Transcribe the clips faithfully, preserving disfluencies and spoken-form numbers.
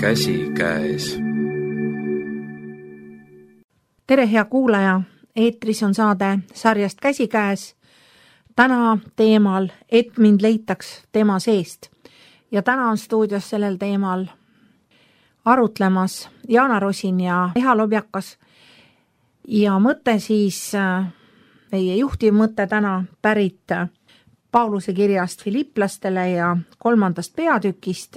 käsikäes. Tere, hea kuulaja! Eetris on saade sarjast Käsikäes. Täna teemal, et mind leitaks tema seest. Ja täna on stuudios sellel teemal arutlemas Jaana Rosin ja Eha Lobjakas. Ja mõte siis, meie juhtiv mõte täna pärit Pauluse kirjast Filiplastele ja kolmandast peatükist,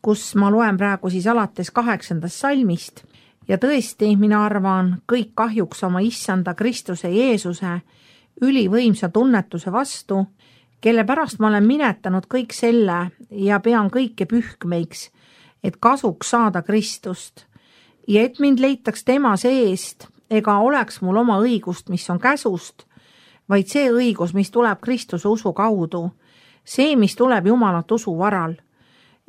kus ma loen praegu siis alates kaheksandast salmist. Ja tõesti, mina arvan, kõik kahjuks oma issanda Kristuse Jeesuse ülivõimsa tunnetuse vastu, kelle pärast ma olen minetanud kõik selle ja pean kõike pühkmeiks, et kasuks saada Kristust. Ja et mind leitaks tema seest, ega oleks mul oma õigust, mis on käsust, vaid see õigus, mis tuleb Kristuse usu kaudu, see, mis tuleb Jumalat usu varal.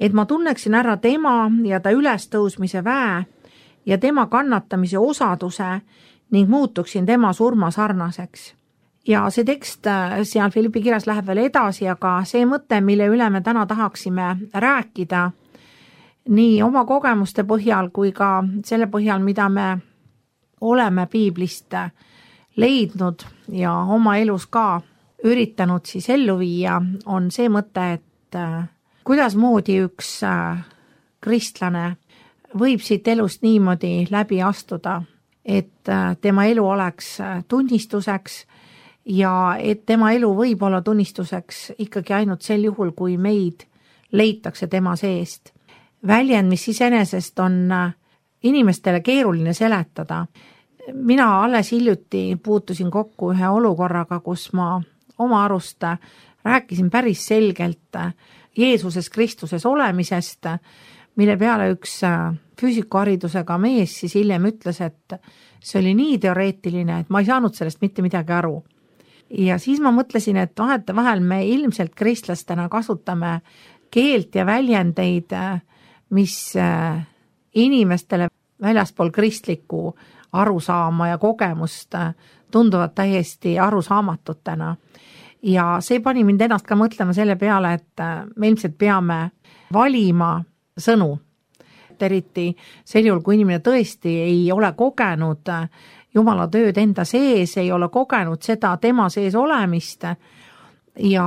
Et ma tunneksin ära tema ja ta ülestõusmise väe ja tema kannatamise osaduse ning muutuksin tema surma sarnaseks. Ja see tekst seal Filippi kirjas läheb veel edasi, aga see mõte, mille üle me täna tahaksime rääkida, nii oma kogemuste põhjal kui ka selle põhjal, mida me oleme piiblist leidnud ja oma elus ka üritanud siis ellu viia, on see mõte, et kuidas moodi üks kristlane võib siit elust niimoodi läbi astuda, et tema elu oleks tunnistuseks ja et tema elu võib olla tunnistuseks ikkagi ainult sel juhul, kui meid leitakse tema seest. Väljend, mis iseenesest on inimestele keeruline seletada. Mina alles hiljuti puutusin kokku ühe olukorraga, kus ma oma arust rääkisin päris selgelt Jeesuses Kristuses olemisest, mille peale üks füüsikuharidusega mees siis hiljem ütles, et see oli nii teoreetiline, et ma ei saanud sellest mitte midagi aru. Ja siis ma mõtlesin, et vahete vahel me ilmselt kristlastena kasutame keelt ja väljendeid, mis inimestele väljaspool kristlikku arusaama ja kogemust tunduvad täiesti arusaamatutena. Ja see pani mind ennast ka mõtlema selle peale, et me ilmselt peame valima sõnu. Eriti sel juhul, kui inimene tõesti ei ole kogenud Jumala tööd enda sees, ei ole kogenud seda tema sees olemist ja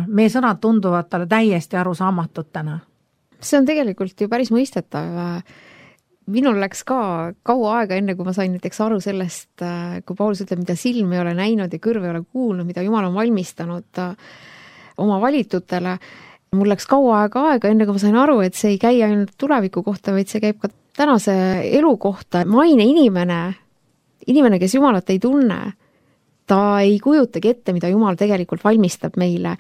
meie sõnad tunduvad talle täiesti arusaamatutena. See on tegelikult ju päris mõistetav. Minul läks ka kaua aega enne, kui ma sain näiteks aru sellest, kui Paulus ütleb, mida silm ei ole näinud ja kõrv ei ole kuulnud, mida Jumal on valmistanud oma valitutele. Mul läks kaua aega aega enne, kui ma sain aru, et see ei käi ainult tuleviku kohta, vaid see käib ka tänase elu kohta. Maine inimene, inimene, kes Jumalat ei tunne, ta ei kujutagi ette, mida Jumal tegelikult valmistab meile.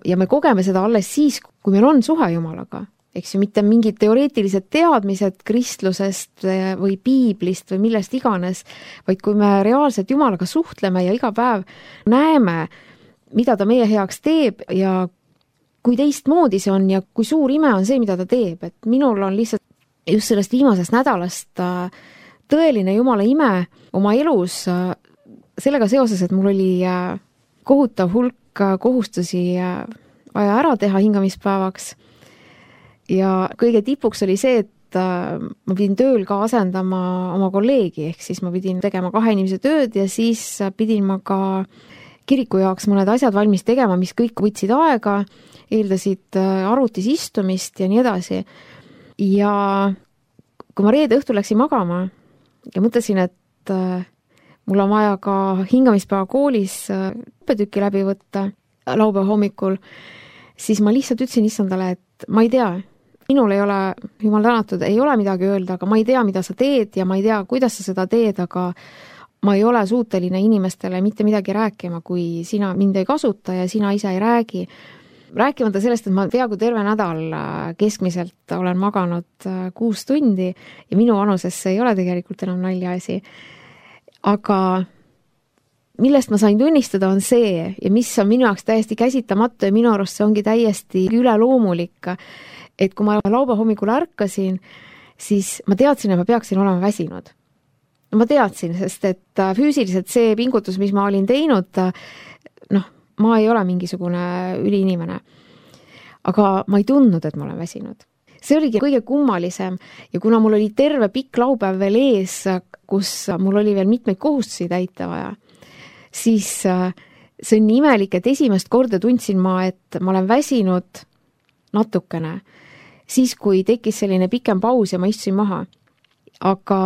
Ja me kogeme seda alles siis, kui meil on suhe Jumalaga. Eks ju mitte mingid teoreetilised teadmised kristlusest või piiblist või millest iganes, vaid kui me reaalselt Jumalaga suhtleme ja iga päev näeme, mida ta meie heaks teeb ja kui teistmoodi see on ja kui suur ime on see, mida ta teeb. Et minul on lihtsalt just sellest viimasest nädalast tõeline Jumala ime oma elus sellega seoses, et mul oli kohutav hulk kohustusi vaja ära teha hingamispäevaks. Ja kõige tipuks oli see, et ma pidin tööl ka asendama oma kolleegi, ehk siis ma pidin tegema kahe inimese tööd ja siis pidin ma ka kiriku jaoks mõned asjad valmis tegema, mis kõik võtsid aega, eeldasid arvutis istumist ja nii edasi. Ja kui ma reede õhtul läksin magama ja mõtlesin, et mul on vaja ka hingamispäeva koolis õppetükki läbi võtta laupäeva hommikul, siis ma lihtsalt ütlesin issandale, et ma ei tea, minul ei ole, Jumal tänatud, ei ole midagi öelda, aga ma ei tea, mida sa teed ja ma ei tea, kuidas sa seda teed, aga ma ei ole suuteline inimestele mitte midagi rääkima, kui sina mind ei kasuta ja sina ise ei räägi. Rääkimata sellest, et ma peaaegu terve nädal keskmiselt olen maganud kuus tundi ja minu vanusesse ei ole tegelikult enam naljaasi. Aga millest ma sain tunnistada on see ja mis on minu jaoks täiesti käsitamatu ja minu arust see ongi täiesti üleloomulik, et kui ma laupäeva hommikul ärkasin, siis ma teadsin, et ma peaksin olema väsinud. Ma teadsin, sest et füüsiliselt see pingutus, mis ma olin teinud, noh, ma ei ole mingisugune üliinimene. Aga ma ei tundnud, et ma olen väsinud. see oligi kõige kummalisem ja kuna mul oli terve pikk laupäev veel ees, kus mul oli veel mitmeid kohustusi täita vaja, siis see on nii imelik, et esimest korda tundsin ma, et ma olen väsinud natukene, siis kui tekkis selline pikem paus ja ma istusin maha. Aga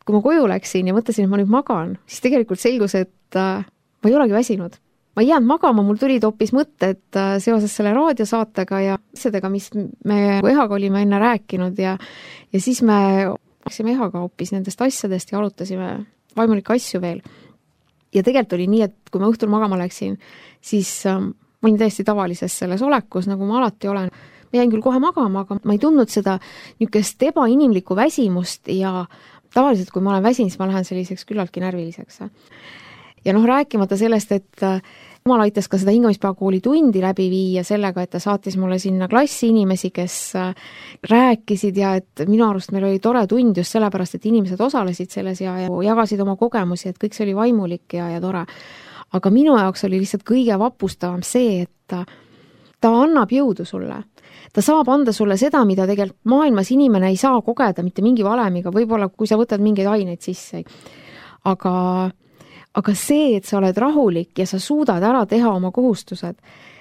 kui ma koju läksin ja mõtlesin, et ma nüüd magan, siis tegelikult selgus, et ma ei olegi väsinud. Ma ei jäänud magama, mul tulid hoopis mõtted seoses selle raadiosaatega ja asjadega, mis me Ehaga olime enne rääkinud ja, ja siis me läksime Ehaga hoopis nendest asjadest ja arutasime vaimulikke asju veel. Ja tegelikult oli nii, et kui ma õhtul magama läksin, siis ma olin täiesti tavalises selles olekus, nagu ma alati olen. Ma jäin küll kohe magama, aga ma ei tundnud seda niisugust ebainimlikku väsimust ja tavaliselt, kui ma olen väsinud, siis ma lähen selliseks küllaltki närviliseks. Ja noh, rääkimata sellest, et Jumal aitas ka seda hingamispäevakooli tundi läbi viia sellega, et ta saatis mulle sinna klassi inimesi, kes rääkisid ja et minu arust meil oli tore tund just sellepärast, et inimesed osalesid selles ja, ja jagasid oma kogemusi, et kõik see oli vaimulik ja, ja tore. Aga minu jaoks oli lihtsalt kõige vapustavam see, et ta, ta annab jõudu sulle. Ta saab anda sulle seda, mida tegelikult maailmas inimene ei saa kogeda mitte mingi valemiga, võib-olla kui sa võtad mingeid aineid sisse. Aga, aga see, et sa oled rahulik ja sa suudad ära teha oma kohustused,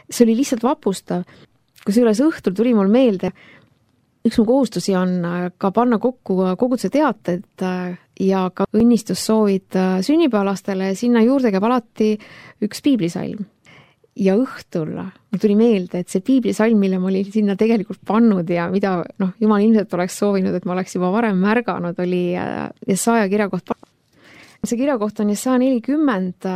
see oli lihtsalt vapustav. Kusjuures õhtul tuli mul meelde, üks mu kohustusi on ka panna kokku koguduse teated ja ka õnnistussoovid sünnipäevalastele ja sinna juurde käib alati üks piiblisalm. Ja õhtul mul tuli meelde, et see piiblisalm, mille ma olin sinna tegelikult pannud ja mida noh, Jumal ilmselt oleks soovinud, et ma oleks juba varem märganud, oli Jesaja kirjakoht. See kirjakoht on Jesaja nelikümmend,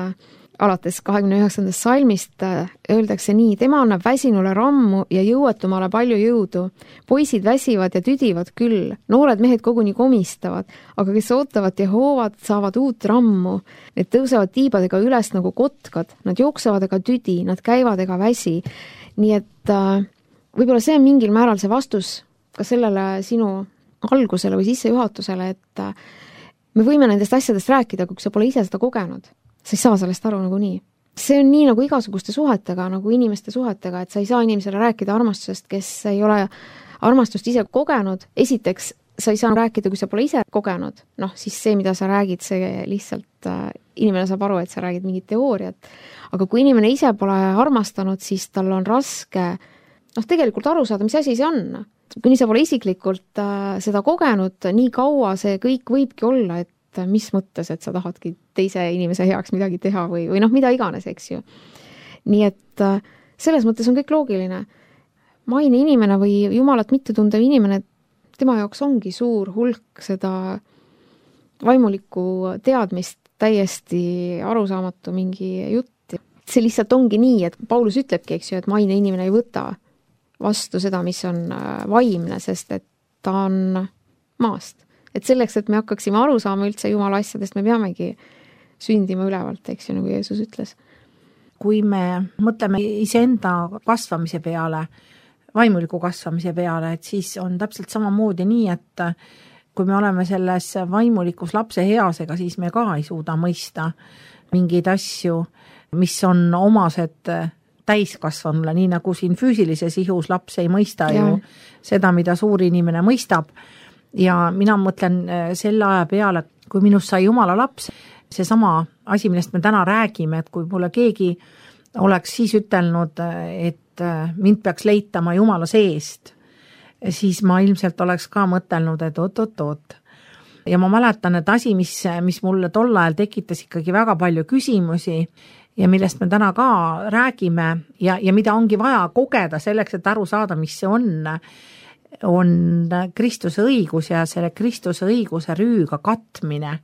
alates kahekümne üheksandast salmist öeldakse nii, tema annab väsinule rammu ja jõuetumale palju jõudu. Poisid väsivad ja tüdivad küll, noored mehed koguni komistavad, aga kes ootavad Jehoovat, saavad uut rammu. Need tõusevad tiibadega üles nagu kotkad, nad jooksevad ega tüdi, nad käivad ega väsi. Nii et võib-olla see on mingil määral see vastus ka sellele sinu algusele või sissejuhatusele, et me võime nendest asjadest rääkida, kui sa pole ise seda kogenud. Sa ei saa sellest aru nagu nii. See on nii nagu igasuguste suhetega, nagu inimeste suhetega, et sa ei saa inimesele rääkida armastusest, kes ei ole armastust ise kogenud. Esiteks, sa ei saa rääkida, kui sa pole ise kogenud. Noh, siis see, mida sa räägid, see lihtsalt äh, inimene saab aru, et sa räägid mingit teooriat. Aga kui inimene ise pole armastanud, siis tal on raske noh, tegelikult aru saada, mis asi see on. Kuni sa pole isiklikult äh, seda kogenud, nii kaua see kõik võibki olla, et mis mõttes, et sa tahadki teise inimese heaks midagi teha või, või noh, mida iganes, eks ju. Nii et selles mõttes on kõik loogiline. Maine inimene või Jumalat mitte tundev inimene, tema jaoks ongi suur hulk seda vaimulikku teadmist, täiesti arusaamatu mingi jutt. See lihtsalt ongi nii, et Paulus ütlebki, eks ju, et maine inimene ei võta vastu seda, mis on vaimne, sest et ta on maast. Et selleks, et me hakkaksime aru saama üldse Jumala asjadest, me peamegi sündima ülevalt, eks ju, nagu Jeesus ütles. Kui me mõtleme iseenda kasvamise peale, vaimuliku kasvamise peale, et siis on täpselt samamoodi nii, et kui me oleme selles vaimulikus lapse heasega, siis me ka ei suuda mõista mingeid asju, mis on omased täiskasvanule, nii nagu siin füüsilises ihus laps ei mõista ja. Ju seda, mida suur inimene mõistab. Ja mina mõtlen selle aja peale, kui minust sai Jumala laps, see sama asi, millest me täna räägime, et kui mulle keegi oleks siis ütelnud, et mind peaks leitama Jumala seest, siis ma ilmselt oleks ka mõtelnud, et oot-oot-oot. Ja ma mäletan, et asi, mis, mis mulle tol ajal tekitas ikkagi väga palju küsimusi ja millest me täna ka räägime ja, ja mida ongi vaja kogeda selleks, et aru saada, mis see on, on Kristuse õigus ja selle Kristuse õiguse rüüga katmine.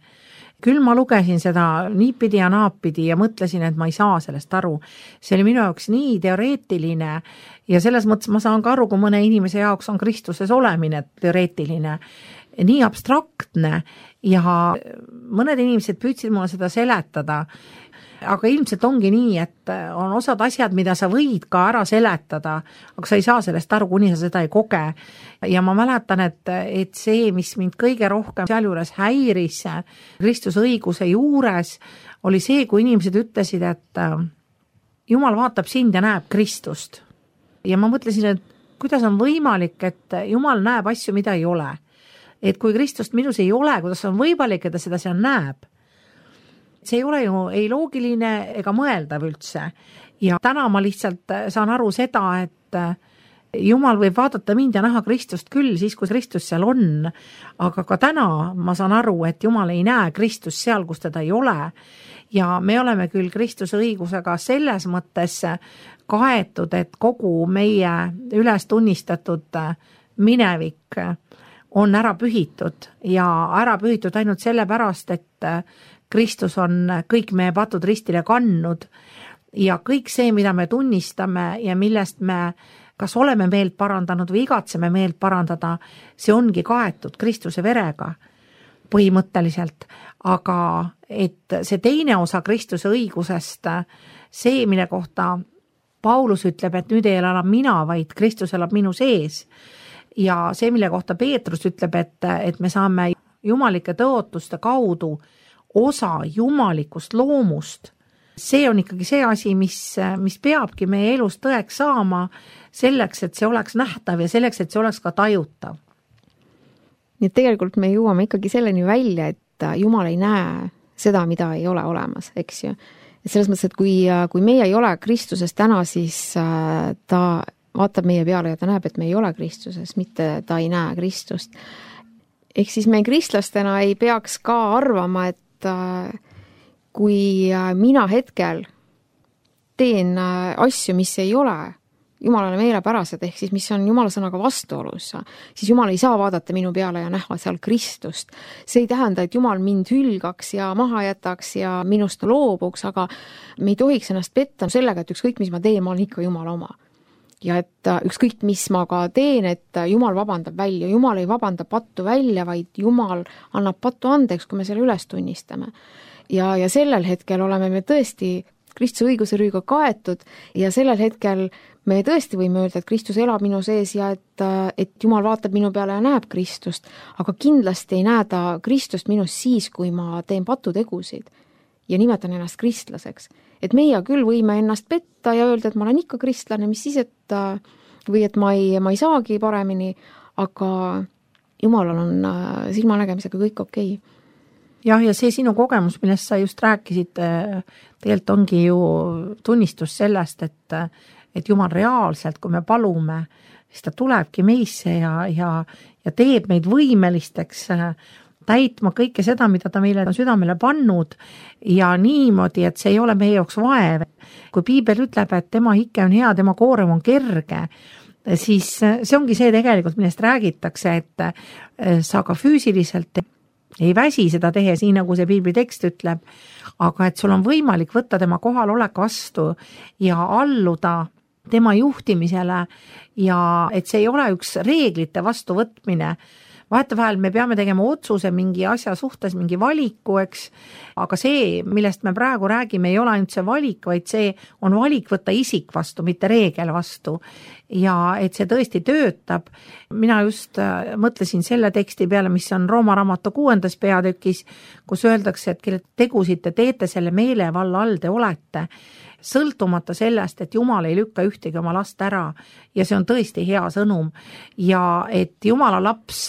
Küll ma lugesin seda niipidi ja naapidi ja mõtlesin, et ma ei saa sellest aru. See oli minu jaoks nii teoreetiline ja selles mõttes ma saan ka aru, kui mõne inimese jaoks on Kristuses olemine teoreetiline, nii abstraktne ja mõned inimesed püüdsid mulle seda seletada. Aga ilmselt ongi nii, et on osad asjad, mida sa võid ka ära seletada, aga sa ei saa sellest aru, kuni sa seda ei koge. Ja ma mäletan, et, et see, mis mind kõige rohkem seal juures häiris Kristuse õiguse juures, oli see, kui inimesed ütlesid, et Jumal vaatab sind ja näeb Kristust. Ja ma mõtlesin, et kuidas on võimalik, et Jumal näeb asju, mida ei ole. Et kui Kristust minus ei ole, kuidas on võimalik, et ta seda seal näeb. See ei ole ju ei loogiline ega mõeldav üldse. Ja täna ma lihtsalt saan aru seda, et Jumal võib vaadata mind ja näha Kristust küll siis, kui Kristus seal on. Aga ka täna ma saan aru, et Jumal ei näe Kristust seal, kus teda ei ole. Ja me oleme küll Kristuse õigusega selles mõttes kaetud, et kogu meie üles tunnistatud minevik on ära pühitud ja ära pühitud ainult sellepärast, et Kristus on kõik meie patud ristile kandnud ja kõik see, mida me tunnistame ja millest me kas oleme meelt parandanud või igatseme meelt parandada, see ongi kaetud Kristuse verega põhimõtteliselt, aga et see teine osa Kristuse õigusest, see, mille kohta Paulus ütleb, et nüüd ei elab mina, vaid Kristus elab minu sees. Ja see, mille kohta Peetrus ütleb, et, et me saame jumalike tõotuste kaudu osa jumalikust loomust, see on ikkagi see asi, mis, mis peabki meie elus tõeks saama selleks, et see oleks nähtav ja selleks, et see oleks ka tajutav. Nii et tegelikult me jõuame ikkagi selleni välja, et Jumal ei näe seda, mida ei ole olemas, eks ju. Et selles mõttes, et kui, kui meie ei ole Kristuses täna, siis ta vaatab meie peale ja ta näeb, et me ei ole Kristuses, mitte ta ei näe Kristust. Ehk siis me kristlastena ei peaks ka arvama, et kui mina hetkel teen asju, mis ei ole Jumalale meelepärased, ehk siis mis on Jumala sõnaga vastuolus, siis Jumal ei saa vaadata minu peale ja näha seal Kristust. See ei tähenda, et Jumal mind hülgaks ja maha jätaks ja minust loobuks, aga me ei tohiks ennast petta sellega, et ükskõik, mis ma teen, ma olen ikka Jumala oma. Ja et ükskõik, mis ma ka teen, et Jumal vabandab välja. Jumal ei vabanda pattu välja, vaid Jumal annab pattu andeks, kui me selle üles tunnistame. Ja, ja sellel hetkel oleme me tõesti Kristuse õiguse rüüga kaetud ja sellel hetkel me tõesti võime öelda, et Kristus elab minu sees ja et, et Jumal vaatab minu peale ja näeb Kristust, aga kindlasti ei näe ta Kristust minus siis, kui ma teen patutegusid ja nimetan ennast kristlaseks. Et meie küll võime ennast petta ja öelda, et ma olen ikka kristlane, mis siis, et või et ma ei, ma ei saagi paremini, aga Jumalal on silmanägemisega kõik okei. Jah, ja see sinu kogemus, millest sa just rääkisid, tegelikult ongi ju tunnistus sellest, et, et Jumal reaalselt, kui me palume, siis ta tulebki meisse ja, ja, ja teeb meid võimelisteks täitma kõike seda, mida ta meile on südamele pannud ja niimoodi, et see ei ole meie jaoks vaev. Kui Piibel ütleb, et tema hike on hea, tema koorem on kerge, siis see ongi see tegelikult, millest räägitakse, et sa ka füüsiliselt ei väsi seda tehes, nii nagu see Piibli tekst ütleb, aga et sul on võimalik võtta tema kohalolek vastu ja alluda tema juhtimisele ja et see ei ole üks reeglite vastuvõtmine. Vahetevahel me peame tegema otsuse mingi asja suhtes, mingi valiku, eks, aga see, millest me praegu räägime, ei ole ainult see valik, vaid see on valik võtta isik vastu, mitte reegel vastu. Ja et see tõesti töötab. Mina just mõtlesin selle teksti peale, mis on Rooma raamatu kuuendas peatükis, kus öeldakse, et kelle tegusid te teete, selle meelevalla all te olete. Sõltumata sellest, et Jumal ei lükka ühtegi oma last ära ja see on tõesti hea sõnum ja et Jumala laps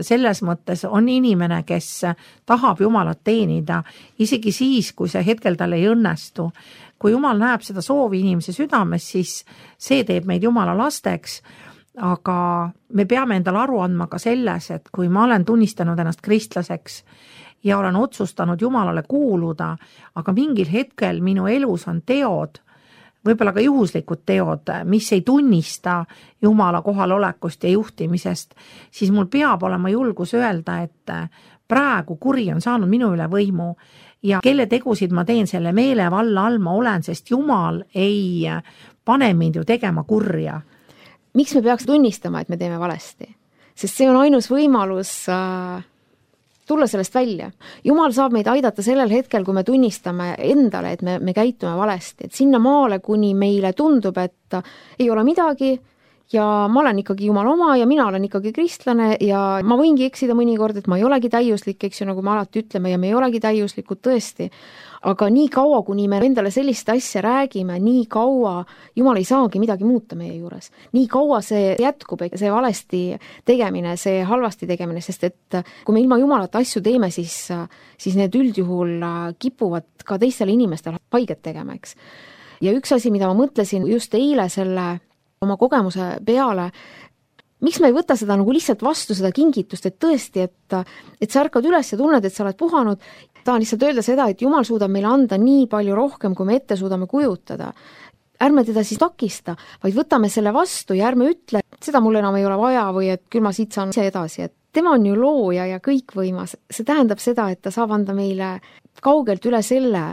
selles mõttes on inimene, kes tahab Jumalat teenida, isegi siis, kui see hetkel tal ei õnnestu. Kui Jumal näeb seda soovi inimese südames, siis see teeb meid Jumala lasteks, aga me peame endale aru andma ka selles, et kui ma olen tunnistanud ennast kristlaseks ja olen otsustanud Jumalale kuuluda, aga mingil hetkel minu elus on teod, võib-olla ka juhuslikud teod, mis ei tunnista Jumala kohalolekust ja juhtimisest, siis mul peab olema julgus öelda, et praegu kuri on saanud minu üle võimu ja kelle tegusid ma teen selle meelevalla all ma olen, sest Jumal ei pane mind ju tegema kurja. Miks me peaks tunnistama, et me teeme valesti? Sest see on ainus võimalus äh... tulla sellest välja. Jumal saab meid aidata sellel hetkel, kui me tunnistame endale, et me, me käitume valesti. Et sinna maale, kuni meile tundub, et ei ole midagi ja ma olen ikkagi Jumala oma ja mina olen ikkagi kristlane ja ma võingi eksida mõnikord, et ma ei olegi täiuslik, eks ju, nagu me alati ütleme ja me ei olegi täiuslikud tõesti. Aga nii kaua, kuni me endale sellist asja räägime, nii kaua Jumal ei saagi midagi muuta meie juures. Nii kaua see jätkub, see valesti tegemine, see halvasti tegemine, sest et kui me ilma Jumalata asju teeme, siis, siis need üldjuhul kipuvad ka teistele inimestele haiget tegema, eks. Ja üks asi, mida ma mõtlesin just eile selle oma kogemuse peale, miks me ei võta seda nagu lihtsalt vastu, seda kingitust, et tõesti, et, et sa ärkad üles ja tunned, et sa oled puhanud. Tahan lihtsalt öelda seda, et Jumal suudab meile anda nii palju rohkem, kui me ette suudame kujutada. Ärme teda siis takista, vaid võtame selle vastu ja ärme ütle, et seda mul enam ei ole vaja või et küll ma siit saan ise edasi. Et tema on ju looja ja kõikvõimas. See tähendab seda, et ta saab anda meile kaugelt üle selle,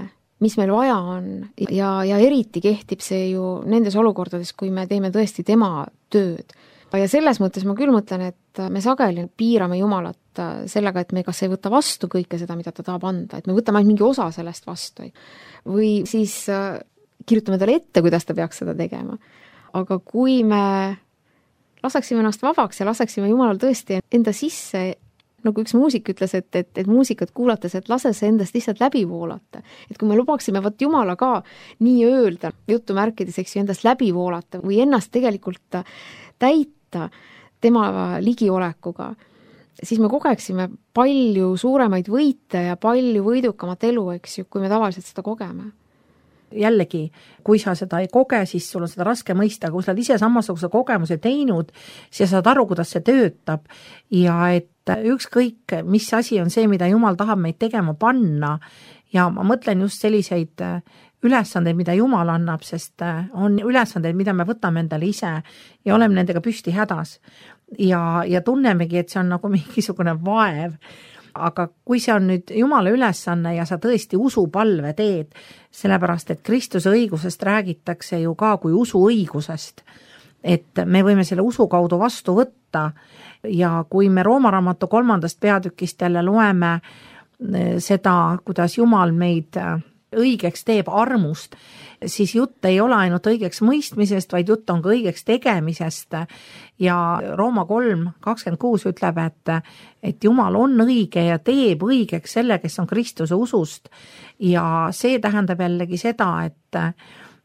mis meil vaja on ja, ja eriti kehtib see ju nendes olukordades, kui me teeme tõesti tema tööd. Ja selles mõttes ma küll mõtlen, et me sageli piirame Jumalat sellega, et me kas ei võta vastu kõike seda, mida ta tahab anda, et me võtame ainult mingi osa sellest vastu. Või siis kirjutame talle ette, kuidas ta peaks seda tegema. Aga kui me laseksime ennast vabaks ja laseksime Jumalal tõesti enda sisse, nagu üks muusik ütles, et, et, et muusikat kuulates, et lase see endast lihtsalt läbi voolata. Et kui me lubaksime võt Jumala ka nii öelda, jutu märkides, eks ju, endast läbi voolata või ennast tegelikult täita tema ligiolekuga, siis me kogeksime palju suuremaid võite ja palju võidukamat elu, eks ju, kui me tavaliselt seda kogeme. Jällegi, kui sa seda ei koge, siis sul on seda raske mõista, kui sa oled ise samasuguse kogemuse teinud, siis sa saad aru, kuidas see töötab ja et ükskõik, mis asi on see, mida Jumal tahab meid tegema panna ja ma mõtlen just selliseid ülesandeid, mida Jumal annab, sest on ülesandeid, mida me võtame endale ise ja oleme nendega püsti hädas ja, ja tunnemegi, et see on nagu mingisugune vaev. Aga kui see on nüüd Jumala ülesanne ja sa tõesti usupalve teed, sellepärast, et Kristuse õigusest räägitakse ju ka kui usu õigusest, et me võime selle usu kaudu vastu võtta ja kui me Rooma raamatu kolmandast peatükist jälle loeme seda, kuidas Jumal meid õigeks teeb armust, siis jutt ei ole ainult õigeks mõistmisest, vaid jutt on ka õigeks tegemisest ja Rooma kolm kakskümmend kuus ütleb, et, et Jumal on õige ja teeb õigeks selle, kes on Kristuse usust ja see tähendab jällegi seda, et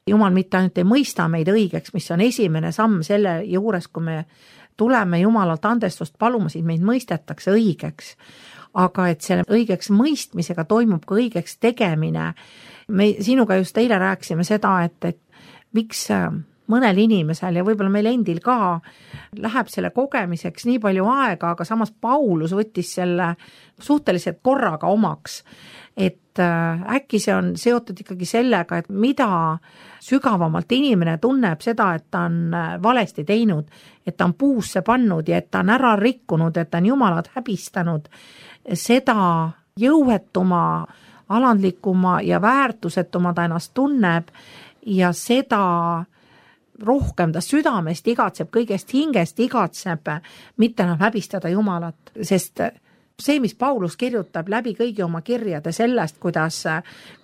Jumal mitte ainult ei mõista meid õigeks, mis on esimene samm selle juures, kui me tuleme Jumalalt andestust paluma, siis meid mõistetakse õigeks. Aga et selle õigeks mõistmisega toimub ka õigeks tegemine. Me sinuga just eile rääkisime seda, et, et miks mõnel inimesel ja võib-olla meil endil ka läheb selle kogemiseks nii palju aega, aga samas Paulus võttis selle suhteliselt korraga omaks. Et äkki see on seotud ikkagi sellega, et mida sügavamalt inimene tunneb seda, et ta on valesti teinud, et ta on puusse pannud ja et ta on ära rikkunud, et ta on Jumalat häbistanud, seda jõuetuma, alandlikuma ja väärtusetuma ta ennast tunneb ja seda rohkem ta südamest igatseb, kõigest hingest igatseb, mitte enam häbistada Jumalat, sest see, mis Paulus kirjutab läbi kõigi oma kirjade sellest, kuidas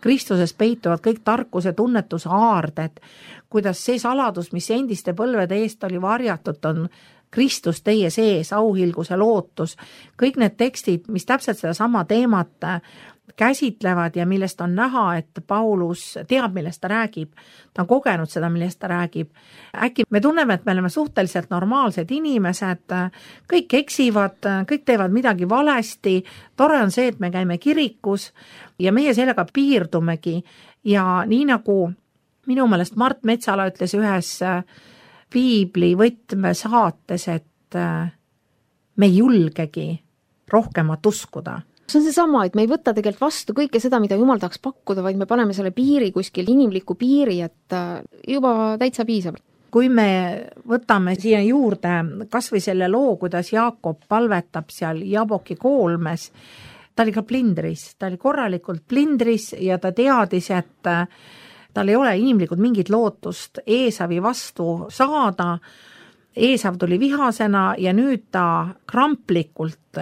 Kristuses peituvad kõik tarkuse tunnetuse aarded, kuidas see saladus, mis endiste põlvede eest oli varjatud, on Kristus teie sees, auhilguse lootus, kõik need tekstid, mis täpselt seda sama teemat käsitlevad ja millest on näha, et Paulus teab, millest ta räägib, ta on kogenud seda, millest ta räägib. Äkki me tunneme, et me oleme suhteliselt normaalsed inimesed, kõik eksivad, kõik teevad midagi valesti, tore on see, et me käime kirikus ja meie sellega piirdumegi ja nii nagu minu meelest Mart Metsala ütles ühes piibli võtmesaates, et me ei julgegi rohkemat uskuda. See on see sama, et me ei võta tegelikult vastu kõike seda, mida Jumal tahaks pakkuda, vaid me paneme selle piiri kuskil, inimliku piiri, et juba täitsa piisab. Kui me võtame siia juurde kas või selle loo, kuidas Jaakob palvetab seal Jaboki koolmes, ta oli ka plindris, ta oli korralikult plindris ja ta teadis, et tal ei ole inimlikult mingit lootust Eesavi vastu saada. Eesav tuli vihasena ja nüüd ta kramplikult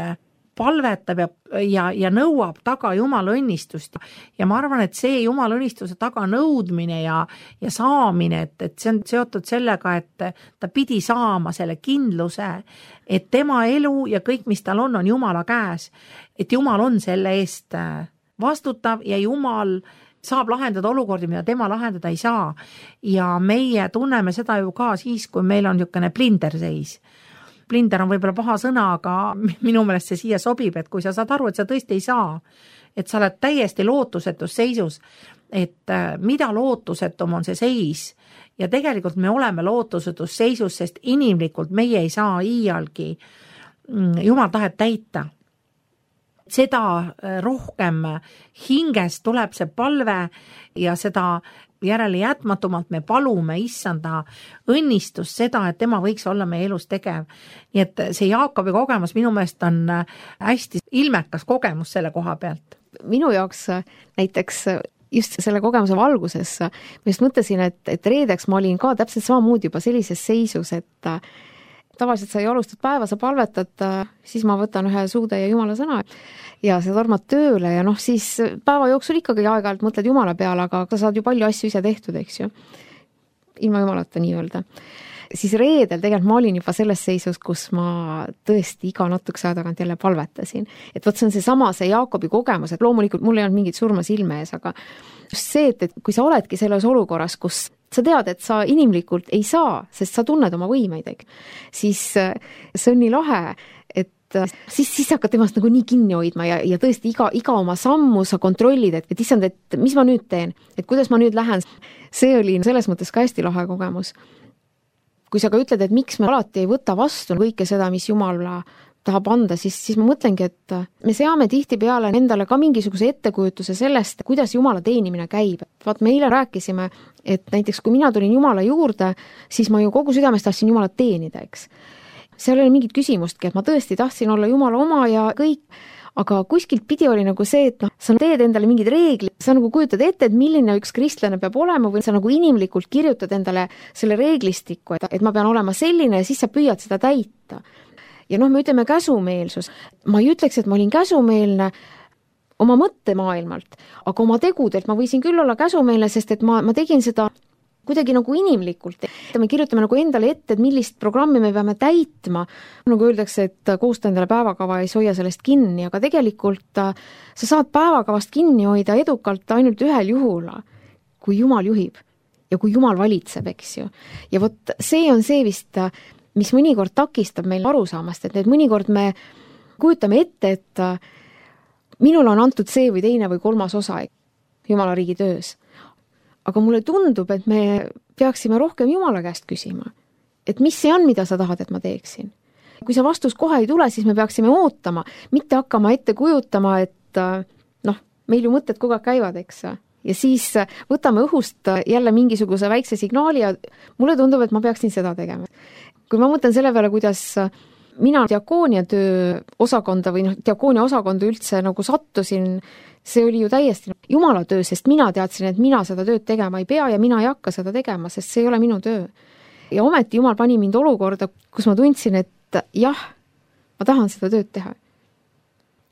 palvetab ja, ja, ja nõuab taga Jumala õnnistust. Ja ma arvan, et see Jumala õnnistuse taga nõudmine ja, ja saamine, et, et see on seotud sellega, et ta pidi saama selle kindluse, et tema elu ja kõik, mis tal on, on Jumala käes. Et Jumal on selle eest vastutav ja Jumal saab lahendada olukordi, mida tema lahendada ei saa. Ja meie tunneme seda ju ka siis, kui meil on niisugune blinderseis. Blinder on võib-olla paha sõna, aga minu meelest see siia sobib, et kui sa saad aru, et sa tõesti ei saa, et sa oled täiesti lootusetus seisus, et mida lootusetum on see seis ja tegelikult me oleme lootusetus seisus, sest inimlikult meie ei saa iialgi Jumal tahet täita. Seda rohkem hingest tuleb see palve ja seda järele jätmatumalt me palume issanda õnnistust seda, et tema võiks olla meie elus tegev. Nii et see Jaakobi kogemus minu meelest on hästi ilmekas kogemus selle koha pealt. Minu jaoks näiteks just selle kogemuse valguses ma just mõtlesin, et, et reedeks ma olin ka täpselt samamoodi juba sellises seisus, et tavaliselt sa ei alustad päeva, sa palvetad, siis ma võtan ühe suude ja Jumala sõna ja sa tormad tööle ja noh, siis päeva jooksul ikkagi aeg-ajalt mõtled Jumala peale, aga sa saad ju palju asju ise tehtud, eks ju. Ilma Jumalata nii-öelda. Siis reedel tegelikult ma olin juba selles seisus, kus ma tõesti iga natukese aja tagant jälle palvetasin. Et võt see on see sama, see Jaakobi kogemus, et loomulikult mul ei olnud mingit surma silme ees, aga just see, et, et kui sa oledki selles olukorras, kus sa tead, et sa inimlikult ei saa, sest sa tunned oma võimeid, siis see on nii lahe, et siis, siis hakkad temast nagu nii kinni hoidma ja, ja tõesti iga, iga oma sammu sa kontrollid, et, et issand, et mis ma nüüd teen, et kuidas ma nüüd lähen. See oli selles mõttes ka hästi lahe kogemus. Kui sa ka ütled, et miks me alati ei võta vastu kõike seda, mis Jumal tahab anda, siis, siis ma mõtlengi, et me seame tihti peale endale ka mingisuguse ettekujutuse sellest, kuidas Jumala teenimine käib. Vaat me eile rääkisime, et näiteks kui mina tulin Jumala juurde, siis ma ju kogu südamest tahtsin Jumalat teenida, eks. Seal oli mingit küsimustki, et ma tõesti tahtsin olla Jumala oma ja kõik, aga kuskilt pidi oli nagu see, et noh, sa teed endale mingid reeglid, sa nagu kujutad ette, et milline üks kristlane peab olema või sa nagu inimlikult kirjutad endale selle reeglistiku, et, et ma pean olema selline ja siis sa püüad seda täita. Ja noh, me ütleme käsumeelsus. Ma ei ütleks, et ma olin käsumeelne oma mõttemaailmalt, aga oma tegudelt ma võisin küll olla käsumeelne, sest et ma, ma tegin seda kuidagi nagu inimlikult. Me kirjutame nagu endale ette, et millist programmi me peame täitma. Nagu öeldakse, et koosta endale päevakava ei hoia sellest kinni, aga tegelikult sa saad päevakavast kinni hoida edukalt ainult ühel juhul, kui Jumal juhib ja kui Jumal valitseb, eks ju. Ja vot see on see vist, mis mõnikord takistab meil arusaamast, et need mõnikord me kujutame ette, et minul on antud see või teine või kolmas osa Jumala riigi töös. Aga mulle tundub, et me peaksime rohkem Jumala käest küsima. Et mis see on, mida sa tahad, et ma teeksin? Kui see vastus kohe ei tule, siis me peaksime ootama, mitte hakkama ette kujutama, et noh, meil ju mõtted kogu aeg käivad, eks. Ja siis võtame õhust jälle mingisuguse väikse signaali ja mulle tundub, et ma peaksin seda tegema. Kui ma mõtlen selle peale, kuidas mina diakoonia töö osakonda või noh, diakoonia osakonda üldse nagu sattusin, see oli ju täiesti Jumala töö, sest mina teadsin, et mina seda tööd tegema ei pea ja mina ei hakka seda tegema, sest see ei ole minu töö. Ja ometi Jumal pani mind olukorda, kus ma tundsin, et jah, ma tahan seda tööd teha.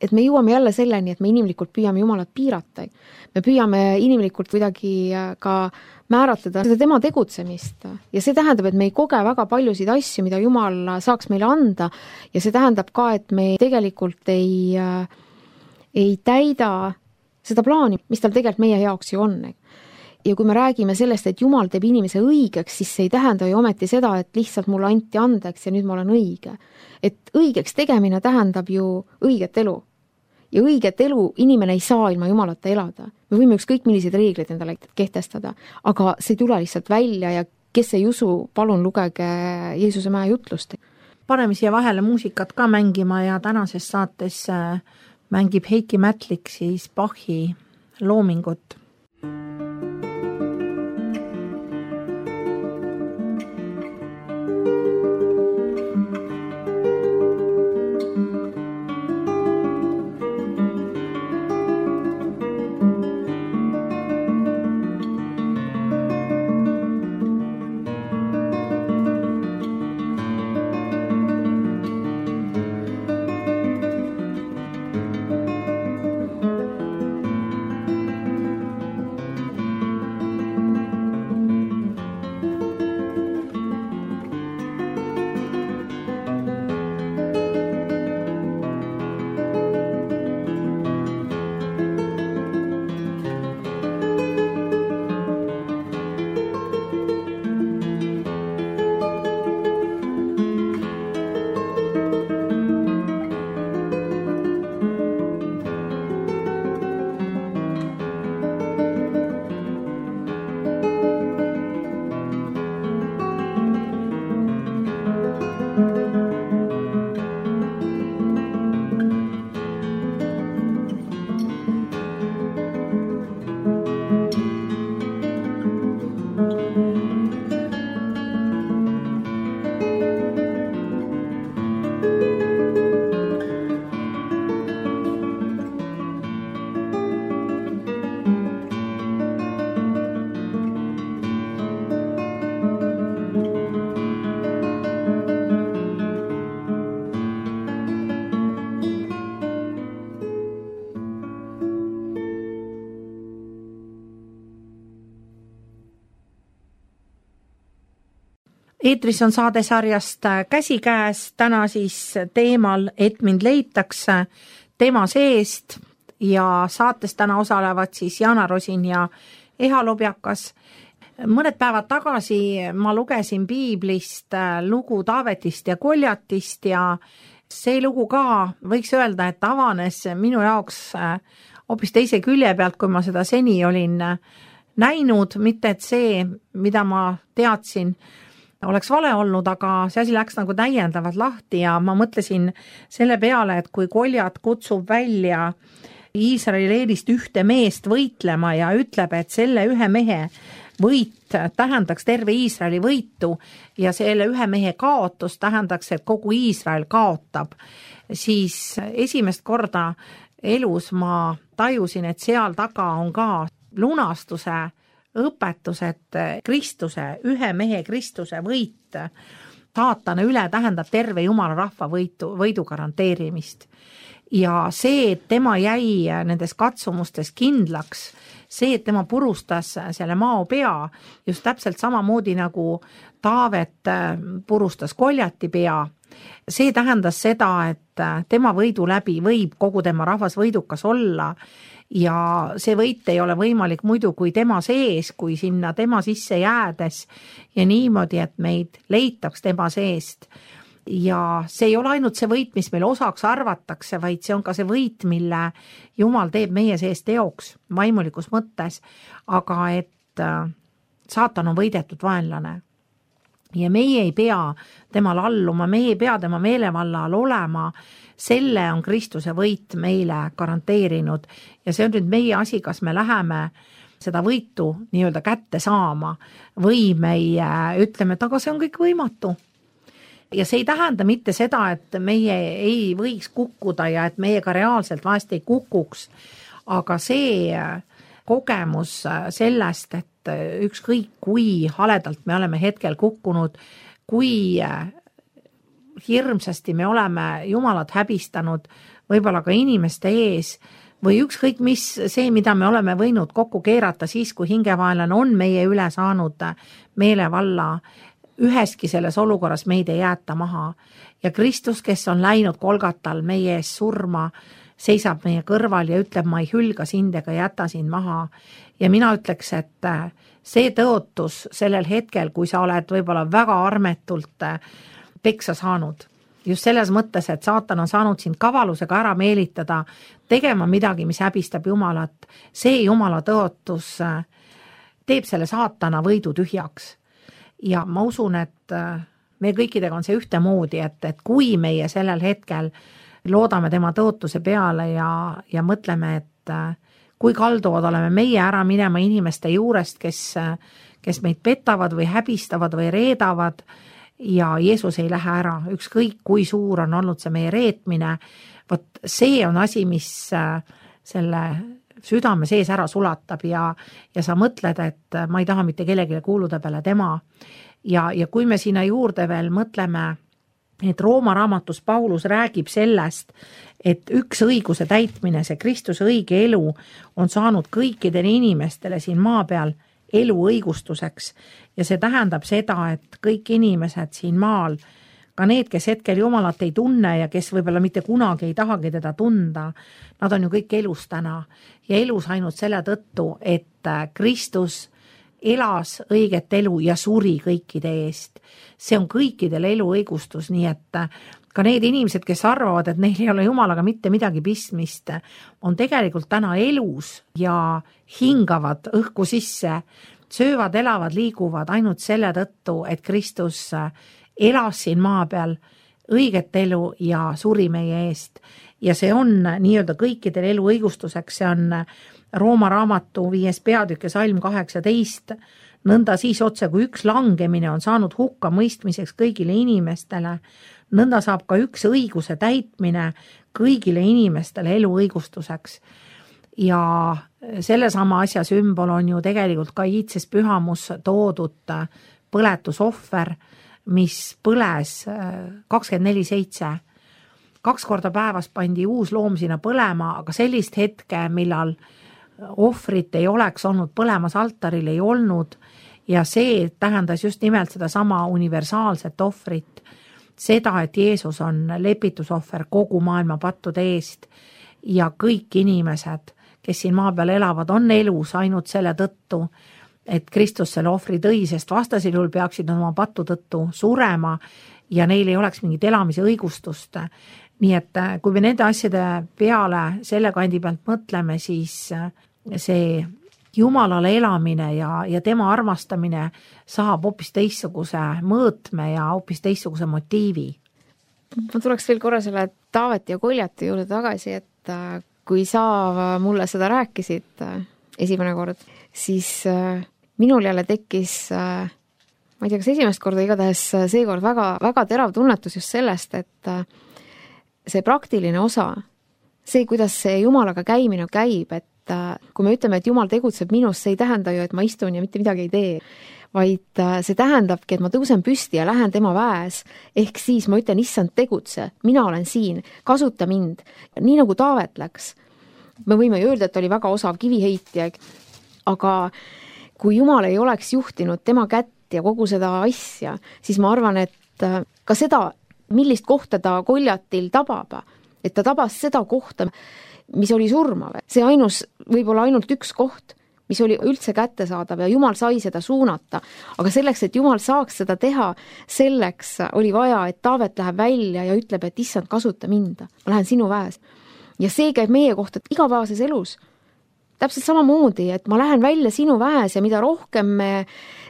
Et me jõuame jälle selleni, et me inimlikult püüame Jumalat piirata. Me püüame inimlikult kuidagi ka määratleda seda tema tegutsemist. Ja see tähendab, et me ei koge väga paljusid asju, mida Jumal saaks meile anda. Ja see tähendab ka, et me tegelikult ei, ei täida seda plaani, mis tal tegelikult meie jaoks ju on. Ja kui me räägime sellest, et Jumal teeb inimese õigeks, siis see ei tähenda ju ometi seda, et lihtsalt mulle anti andeks ja nüüd ma olen õige. Et õigeks tegemine tähendab ju õiget elu. Ja õiget elu inimene ei saa ilma Jumalata elada. Me võime ükskõik milliseid reegleid endale kehtestada, aga see ei tule lihtsalt välja ja kes ei usu, palun lugege Jeesuse mäe jutlust. Paneme siia vahele muusikat ka mängima ja tänases saates mängib Heiki Mätlik siis Bachi loomingut. Eetris on saadesarjast Käsikäes, täna siis teemal, et mind leitakse tema seest ja saates täna osalevad siis Jana Rosin ja Eha Lobjakas. Mõned päevad tagasi ma lugesin piiblist lugu Taavetist ja Koljatist ja see lugu ka võiks öelda, et avanes minu jaoks hoopis teise külje pealt, kui ma seda seni olin näinud, mitte et see, mida ma teadsin, oleks vale olnud, aga see asi läks nagu täiendavalt lahti ja ma mõtlesin selle peale, et kui Koljat kutsub välja Iisraeli leenist ühte meest võitlema ja ütleb, et selle ühe mehe võit tähendaks terve Iisraeli võitu ja selle ühe mehe kaotus tähendaks, et kogu Iisrael kaotab, siis esimest korda elus ma tajusin, et seal taga on ka lunastuse õpetus, et Kristuse, ühe mehe Kristuse võit saatana üle tähendab terve Jumala rahva võitu, võidu garanteerimist. Ja see, et tema jäi nendes katsumustes kindlaks, see, et tema purustas selle mao pea, just täpselt samamoodi nagu Taavet purustas Koljati pea, see tähendas seda, et tema võidu läbi võib kogu tema rahvas võidukas olla ja see võit ei ole võimalik muidu kui tema sees, kui sinna tema sisse jäädes ja niimoodi, et meid leitaks tema seest. Ja see ei ole ainult see võit, mis meil osaks arvatakse, vaid see on ka see võit, mille Jumal teeb meie sees teoks vaimulikus mõttes, aga et saatan on võidetud vaenlane. Ja meie ei pea temal alluma, meie ei pea tema meelevalla all olema, selle on Kristuse võit meile garanteerinud ja see on nüüd meie asi, kas me läheme seda võitu nii-öelda kätte saama või meie ütleme, et aga see on kõik võimatu. Ja see ei tähenda mitte seda, et meie ei võiks kukkuda ja et meiega reaalselt vahest ei kukuks, aga see kogemus sellest, et ükskõik kui haledalt me oleme hetkel kukkunud, kui hirmsasti me oleme Jumalat häbistanud, võib-olla ka inimeste ees, või ükskõik mis see, mida me oleme võinud kokku keerata siis, kui hingevaenlane on meie üle saanud meelevalla, üheski selles olukorras meid ei jäeta maha. Ja Kristus, kes on läinud Kolgatal meie ees surma, seisab meie kõrval ja ütleb, ma ei hülga sind ega jäta sind maha. Ja mina ütleks, et see tõotus sellel hetkel, kui sa oled võib-olla väga armetult peksa saanud, just selles mõttes, et saatan on saanud sind kavalusega ära meelitada, tegema midagi, mis häbistab Jumalat, see Jumala tõotus teeb selle saatana võidu tühjaks. Ja ma usun, et me kõikidega on see ühtemoodi, et, et kui meie sellel hetkel loodame tema tõotuse peale ja, ja mõtleme, et kui kalduvad oleme meie ära minema inimeste juurest, kes, kes meid petavad või häbistavad või reedavad ja Jeesus ei lähe ära, ükskõik kui suur on olnud see meie reetmine, vot see on asi, mis selle südame sees ära sulatab ja, ja sa mõtled, et ma ei taha mitte kellelegi kuuluda peale tema. Ja, ja kui me sinna juurde veel mõtleme, et Rooma raamatus Paulus räägib sellest, et üks õiguse täitmine, see Kristuse õige elu on saanud kõikidele inimestele siin maa peal elu õigustuseks ja see tähendab seda, et kõik inimesed siin maal, ka need, kes hetkel Jumalat ei tunne ja kes võib-olla mitte kunagi ei tahagi teda tunda, nad on ju kõik elus täna ja elus ainult selle tõttu, et Kristus elas õiget elu ja suri kõikide eest. See on kõikidel elu õigustus, nii et ka need inimesed, kes arvavad, et neil ei ole Jumalaga mitte midagi pistmist, on tegelikult täna elus ja hingavad õhku sisse, söövad, elavad, liiguvad ainult selle tõttu, et Kristus elas siin maa peal õiget elu ja suri meie eest. Ja see on nii-öelda kõikidel elu õigustuseks, see on Rooma raamatu viies peatükk ja salm kaheksateist, nõnda siis otse, kui üks langemine on saanud hukka mõistmiseks kõigile inimestele, nõnda saab ka üks õiguse täitmine kõigile inimestele elu õigustuseks. Ja sellesama asja sümbol on ju tegelikult ka iitses pühamus toodud põletusohver, mis põles kakskümmend neli seitse. Kaks korda päevas pandi uus loom sinna põlema, aga sellist hetke, millal ohvrit ei oleks olnud põlemas altaril, ei olnud ja see tähendas just nimelt seda sama universaalset ohvrit, seda, et Jeesus on lepitusohver kogu maailma pattude eest ja kõik inimesed, kes siin maa peal elavad, on elus ainult selle tõttu, et Kristus selle ohvri tõi, sest vastasel juhul peaksid oma pattu tõttu surema ja neil ei oleks mingit elamise õigustust. Nii et kui me nende asjade peale selle kandi pealt mõtleme, siis see Jumalale elamine ja, ja tema armastamine saab hoopis teistsuguse mõõtme ja hoopis teistsuguse motiivi. Ma tuleks veel korra selle Taaveti ja Koljati juurde tagasi, et kui sa mulle seda rääkisid esimene kord, siis minul jälle tekkis, ma ei tea, kas esimest korda, igatahes seekord väga, väga terav tunnetus just sellest, et see praktiline osa, see, kuidas see Jumalaga käimine käib, et kui me ütleme, et Jumal tegutseb minus, see ei tähenda ju, et ma istun ja mitte midagi ei tee, vaid see tähendabki, et ma tõusen püsti ja lähen tema väes, ehk siis ma ütlen, issand, tegutse, mina olen siin, kasuta mind, nii nagu Taavet läks. Me võime ju öelda, et oli väga osav kiviheitja, aga kui Jumal ei oleks juhtinud tema kätt ja kogu seda asja, siis ma arvan, et ka seda, millist kohta ta Koljatil tabab, et ta tabas seda kohta, mis oli surmav. See ainus, võib-olla ainult üks koht, mis oli üldse kättesaadav ja Jumal sai seda suunata. Aga selleks, et Jumal saaks seda teha, selleks oli vaja, et Taavet läheb välja ja ütleb, et issand, kasuta mind. Ma lähen sinu väes. Ja see käib meie kohta igapäevases elus. Täpselt samamoodi, et ma lähen välja sinu väes ja mida rohkem me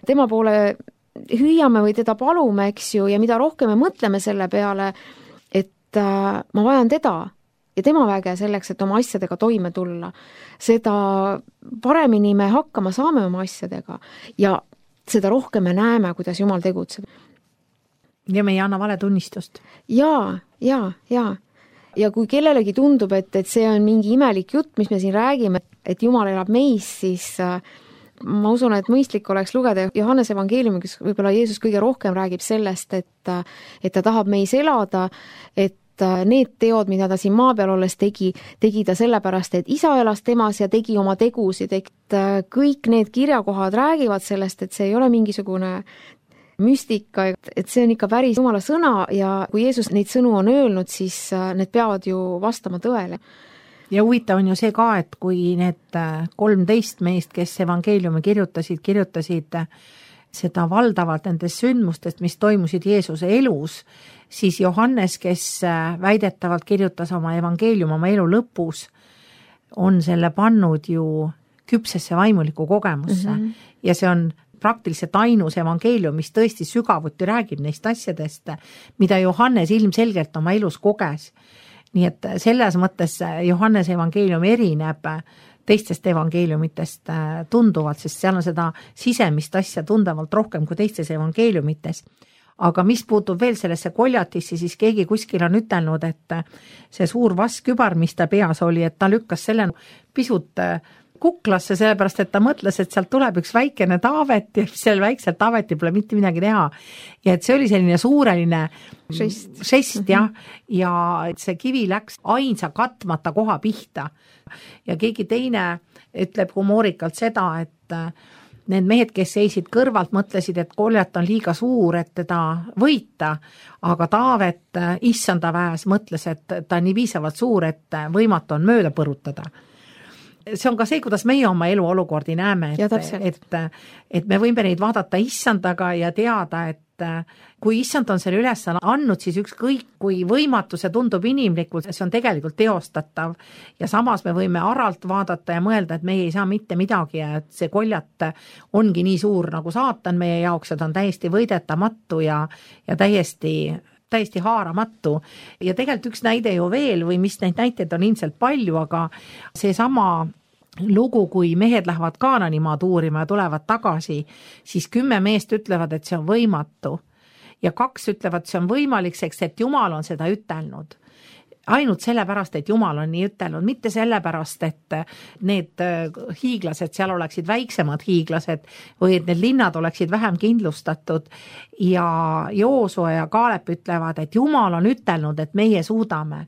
tema poole hüüame või teda palume, eks ju, ja mida rohkem me mõtleme selle peale, et äh, ma vajan teda ja tema väge selleks, et oma asjadega toime tulla, seda paremini me hakkama saame oma asjadega ja seda rohkem me näeme, kuidas Jumal tegutseb. Ja me ei anna vale tunnistust. Jaa, jaa, jaa. Ja kui kellelegi tundub, et, et see on mingi imelik jutt, mis me siin räägime, et Jumal elab meis, siis äh, ma usun, et mõistlik oleks lugeda Johannese evangeeliumi, kus võib-olla Jeesus kõige rohkem räägib sellest, et, et ta tahab meis elada, et need teod, mida ta siin maa peal olles tegi, tegi ta sellepärast, et isa elas temas ja tegi oma tegusid, et kõik need kirjakohad räägivad sellest, et see ei ole mingisugune müstika, et see on ikka päris Jumala sõna ja kui Jeesus neid sõnu on öelnud, siis need peavad ju vastama tõele. Ja huvitav on ju see ka, et kui need kolmteist meest, kes evangeeliumi kirjutasid, kirjutasid seda valdavalt nendest sündmustest, mis toimusid Jeesuse elus, siis Johannes, kes väidetavalt kirjutas oma evangeelium oma elu lõpus, on selle pannud ju küpsesse vaimuliku kogemusse mm-hmm. ja see on praktiliselt ainus evangeelium, mis tõesti sügavuti räägib neist asjadest, mida Johannes ilmselgelt oma elus koges. Nii et selles mõttes Johannes evangeelium erineb teistest evangeeliumitest tunduvalt, sest seal on seda sisemist asja tundavalt rohkem kui teistes evangeeliumites. Aga mis puutub veel sellesse Koljatisse, siis keegi kuskil on ütelnud, et see suur vaskkübar, mis ta peas oli, et ta lükkas selle pisut kuklasse, sellepärast, et ta mõtles, et sealt tuleb üks väikene Taavet ja sel väikselt Taavetil pole mitte midagi teha. Ja et see oli selline suureline žest, žest ja, ja see kivi läks ainsa katmata koha pihta. Ja keegi teine ütleb humoorikalt seda, et need mehed, kes seisid kõrvalt, mõtlesid, et Koljat on liiga suur, et teda võita, aga Taavet issanda väes mõtles, et ta on nii piisavalt suur, et võimatu on mööda põrutada. See on ka see, kuidas meie oma elu olukordi näeme, et, et, et me võime neid vaadata issandaga ja teada, et kui issand on selle üles andnud, siis ükskõik kui võimatu see tundub inimlikult, see on tegelikult teostatav ja samas me võime aralt vaadata ja mõelda, et meie ei saa mitte midagi ja et see Koljat ongi nii suur nagu saatan meie jaoks, et on täiesti võidetamatu ja, ja täiesti täiesti haaramatu. Ja tegelikult üks näide ju veel või mis neid näiteid on ilmselt palju, aga see sama lugu, kui mehed lähevad Kaananimaad uurima ja tulevad tagasi, siis kümme meest ütlevad, et see on võimatu. Ja kaks ütlevad, see on võimalik, sest et Jumal on seda ütelnud. Ainult sellepärast, et Jumal on nii ütelnud, mitte sellepärast, et need hiiglased seal oleksid väiksemad hiiglased või et need linnad oleksid vähem kindlustatud ja Joosua ja Kaalep ütlevad, et Jumal on ütelnud, et meie suudame.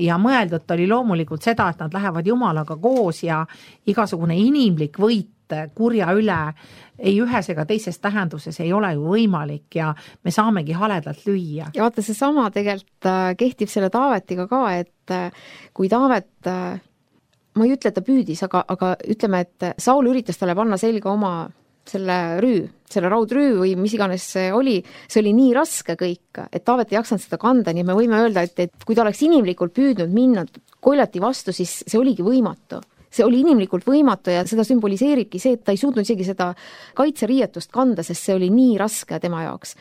Ja mõeldud oli loomulikult seda, et nad lähevad Jumalaga koos ja igasugune inimlik võit kurja üle ei ühes ega teises tähenduses ei ole ju võimalik ja me saamegi haledalt lüüa. Ja vaata, see sama tegelikult kehtib selle Taavetiga ka, et kui Taavet, ma ei ütle, et ta püüdis, aga, aga ütleme, et Saul üritas talle panna selga oma selle rüü, selle raudrüü või mis iganes see oli, see oli nii raske kõik, et Taavet ei jaksanud seda kanda, nii me võime öelda, et, et kui ta oleks inimlikult püüdnud minna Goljati vastu, siis see oligi võimatu. See oli inimlikult võimatu ja seda sümboliseeribki see, et ta ei suutnud isegi seda kaitseriietust kanda, sest see oli nii raske tema jaoks.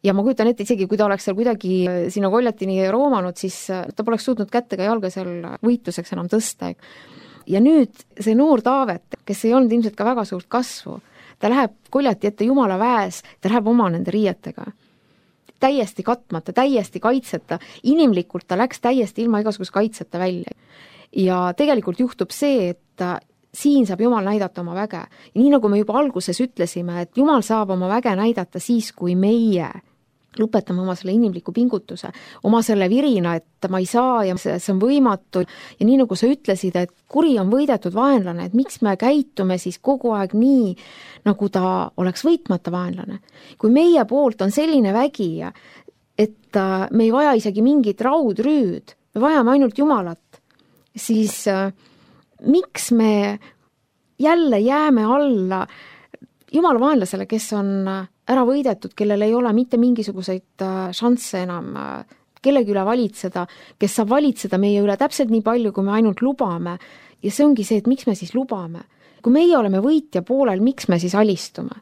Ja ma kujutan ette isegi, kui ta oleks seal kuidagi sinna Goljatini roomanud, siis ta poleks suutnud kättega jalga seal võitluseks enam tõsta. Ja nüüd see noor Taavet, kes ei olnud ilmselt ka väga suurt kasvu, ta läheb Goljati ette Jumala väes, ta läheb oma nende riietega. Täiesti katmata, täiesti kaitseta, inimlikult ta läks täiesti ilma igasuguse kaitseta välja. Ja tegelikult juhtub see, et siin saab Jumal näidata oma väge. Ja nii nagu me juba alguses ütlesime, et Jumal saab oma väge näidata siis, kui meie lõpetame oma selle inimliku pingutuse, oma selle virina, et ma ei saa ja see on võimatu. Ja nii nagu sa ütlesid, et kuri on võidetud vaenlane, et miks me käitume siis kogu aeg nii, nagu ta oleks võitmata vaenlane. Kui meie poolt on selline vägi, et me ei vaja isegi mingit raudrüüd, me vajame ainult Jumalat, siis äh, miks me jälle jääme alla Jumala vaenlasele, kes on ära võidetud, kellel ei ole mitte mingisuguseid äh, šansse enam äh, kellegi üle valitseda, kes saab valitseda meie üle täpselt nii palju, kui me ainult lubame. Ja see ongi see, et miks me siis lubame. Kui meie oleme võitja poolel, miks me siis alistume?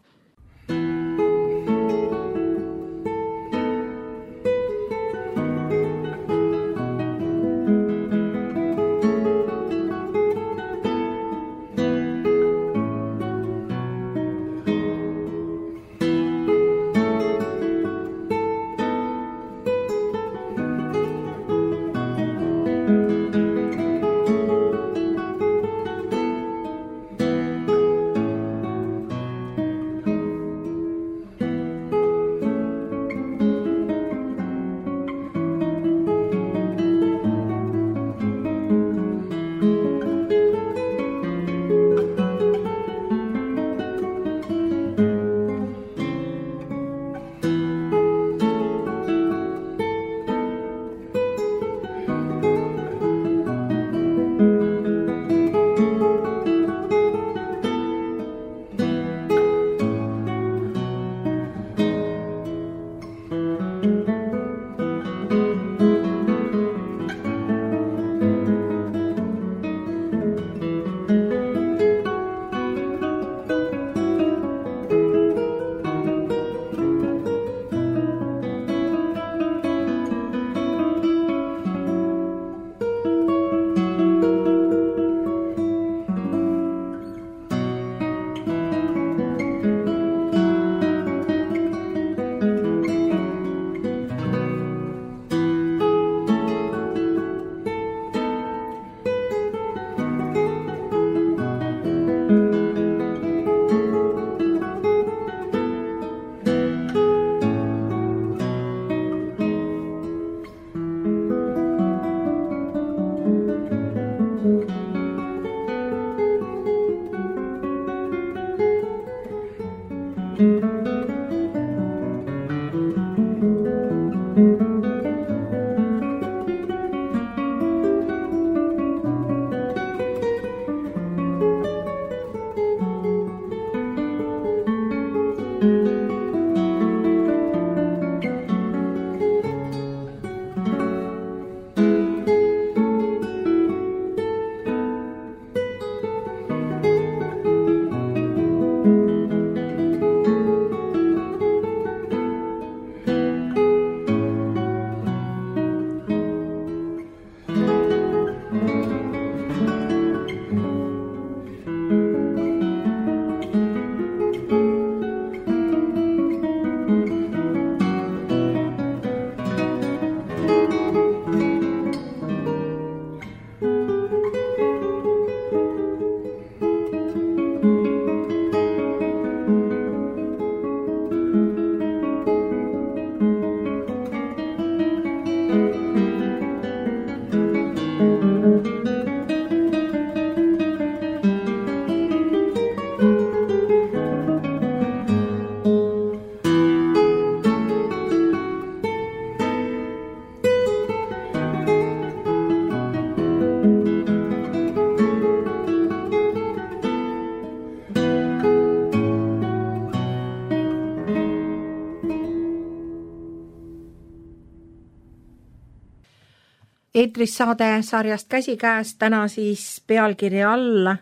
eetris saade sarjast Käsikäes, täna siis pealkirja all,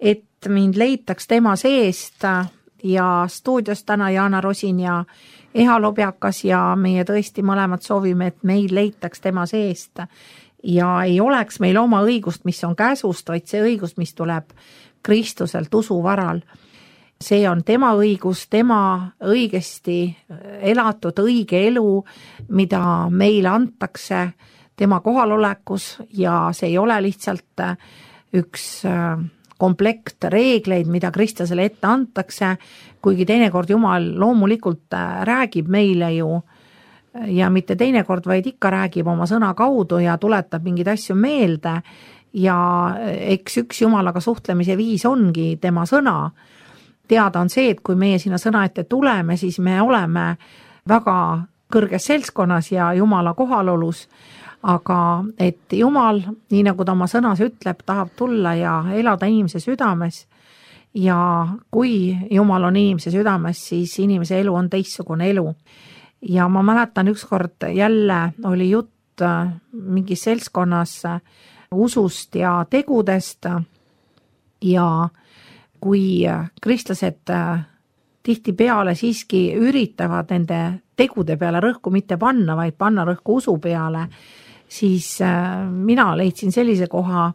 et mind leitaks tema seest ja stuudios täna Jaana Rosin ja Eha Lobjakas ja meie tõesti mõlemad soovime, et meil leitaks tema seest ja ei oleks meil oma õigust, mis on käsust, vaid see õigust, mis tuleb Kristuselt usu varal. See on tema õigus, tema õigesti elatud õige elu, mida meile antakse tema kohalolekus ja see ei ole lihtsalt üks komplekt reegleid, mida kristlasele ette antakse, kuigi teinekord Jumal loomulikult räägib meile ju ja mitte teinekord, vaid ikka räägib oma sõna kaudu ja tuletab mingeid asju meelde ja eks üks Jumalaga suhtlemise viis ongi tema sõna. Teada on see, et kui meie sinna sõna ette tuleme, siis me oleme väga kõrges seltskonnas ja Jumala kohalolus, aga et Jumal, nii nagu ta oma sõnas ütleb, tahab tulla ja elada inimese südames ja kui Jumal on inimese südames, siis inimese elu on teistsugune elu. Ja ma mäletan ükskord jälle oli jutt mingis seltskonnas usust ja tegudest ja kui kristlased tihtipeale siiski üritavad nende tegude peale rõhku mitte panna, vaid panna rõhku usu peale, siis mina leidsin sellise koha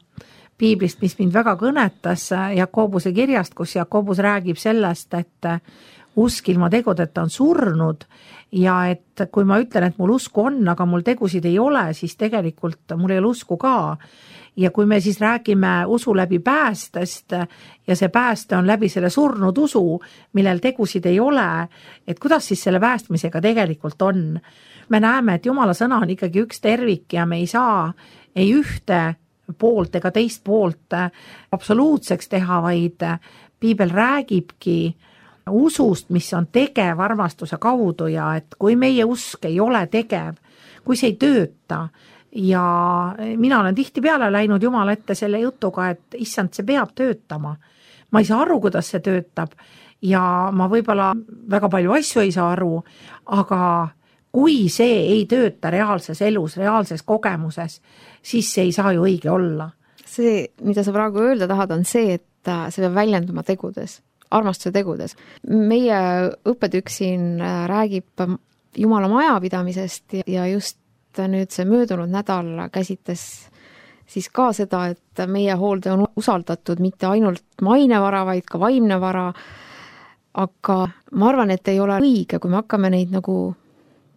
piiblist, mis mind väga kõnetas Jakobuse kirjast, kus Jakobus räägib sellest, et usk ilma tegudeta on surnud ja et kui ma ütlen, et mul usku on, aga mul tegusid ei ole, siis tegelikult mul ei ole usku ka. Ja kui me siis räägime usu läbi päästest ja see pääste on läbi selle surnud usu, millel tegusid ei ole, et kuidas siis selle päästmisega tegelikult on? Me näeme, et Jumala sõna on ikkagi üks tervik ja me ei saa ei ühte poolt ega teist poolt absoluutseks teha, vaid piibel räägibki usust, mis on tegev armastuse kaudu ja et kui meie usk ei ole tegev, kui see ei tööta, ja mina olen tihtipeale läinud Jumala ette selle jutuga, et issand, see peab töötama. Ma ei saa aru, kuidas see töötab ja ma võib-olla väga palju asju ei saa aru, aga kui see ei tööta reaalses elus, reaalses kogemuses, siis see ei saa ju õige olla. See, mida sa praegu öelda tahad, on see, et see peab väljenduma tegudes, armastuse tegudes. Meie õppetükk siin räägib Jumala majapidamisest ja just nüüd see möödunud nädal käsitles siis ka seda, et meie hoolde on usaldatud mitte ainult mainevara, vaid ka vaimne vara, aga ma arvan, et ei ole õige, kui me hakkame neid nagu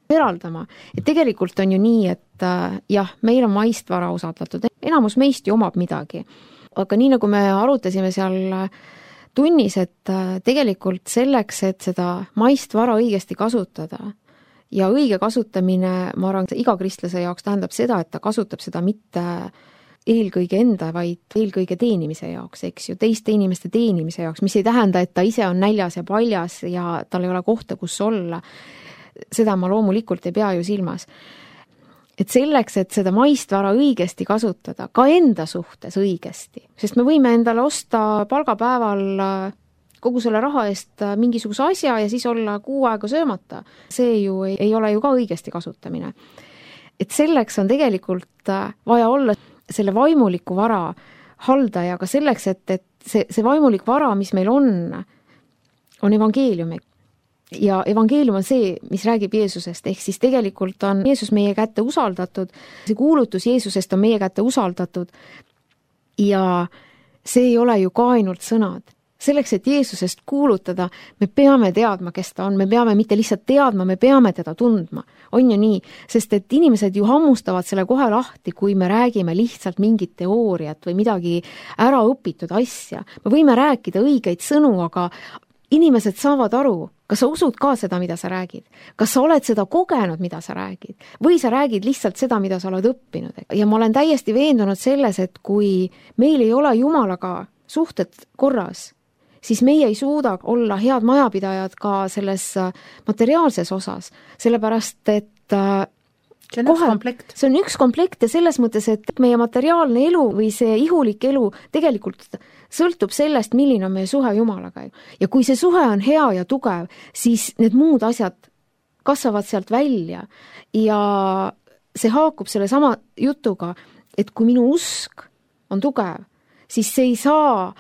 eraldama. Et tegelikult on ju nii, et jah, meil on maist vara usaldatud, enamus meist ju omab midagi. Aga nii nagu me arutasime seal tunnis, et tegelikult selleks, et seda maist vara õigesti kasutada, ja õige kasutamine, ma arvan, iga kristlase jaoks tähendab seda, et ta kasutab seda mitte eelkõige enda, vaid eelkõige teenimise jaoks, eks ju, teiste inimeste teenimise jaoks, mis ei tähenda, et ta ise on näljas ja paljas ja tal ei ole kohta, kus olla. Seda ma loomulikult ei pea ju silmas. Et selleks, et seda maist vara õigesti kasutada, ka enda suhtes õigesti, sest me võime endale osta palgapäeval kogu selle raha eest mingisuguse asja ja siis olla kuu aega söömata. See ju ei, ei ole ju ka õigesti kasutamine. Et selleks on tegelikult vaja olla selle vaimuliku vara haldaja, aga selleks, et, et see, see vaimulik vara, mis meil on, on evangeeliumi. Ja evangeelium on see, mis räägib Jeesusest, ehk siis tegelikult on Jeesus meie kätte usaldatud, see kuulutus Jeesusest on meie kätte usaldatud ja see ei ole ju ka ainult sõnad. Selleks, et Jeesusest kuulutada, me peame teadma, kes ta on, me peame mitte lihtsalt teadma, me peame teda tundma. On ju nii, sest et inimesed ju hammustavad selle kohe lahti, kui me räägime lihtsalt mingit teooriat või midagi ära õpitud asja. Me võime rääkida õigeid sõnu, aga inimesed saavad aru, kas sa usud ka seda, mida sa räägid? Kas sa oled seda kogenud, mida sa räägid? Või sa räägid lihtsalt seda, mida sa oled õppinud? Ja ma olen täiesti veendunud selles, et kui meil ei ole Jumalaga suhted korras, siis meie ei suuda olla head majapidajad ka selles materiaalses osas, sellepärast et see on kohe, üks komplekt. See on üks komplekt ja selles mõttes, et meie materiaalne elu või see ihulik elu tegelikult sõltub sellest, milline on meie suhe Jumalaga. Ja kui see suhe on hea ja tugev, siis need muud asjad kasvavad sealt välja ja see haakub selle sama jutuga, et kui minu usk on tugev, siis see ei saa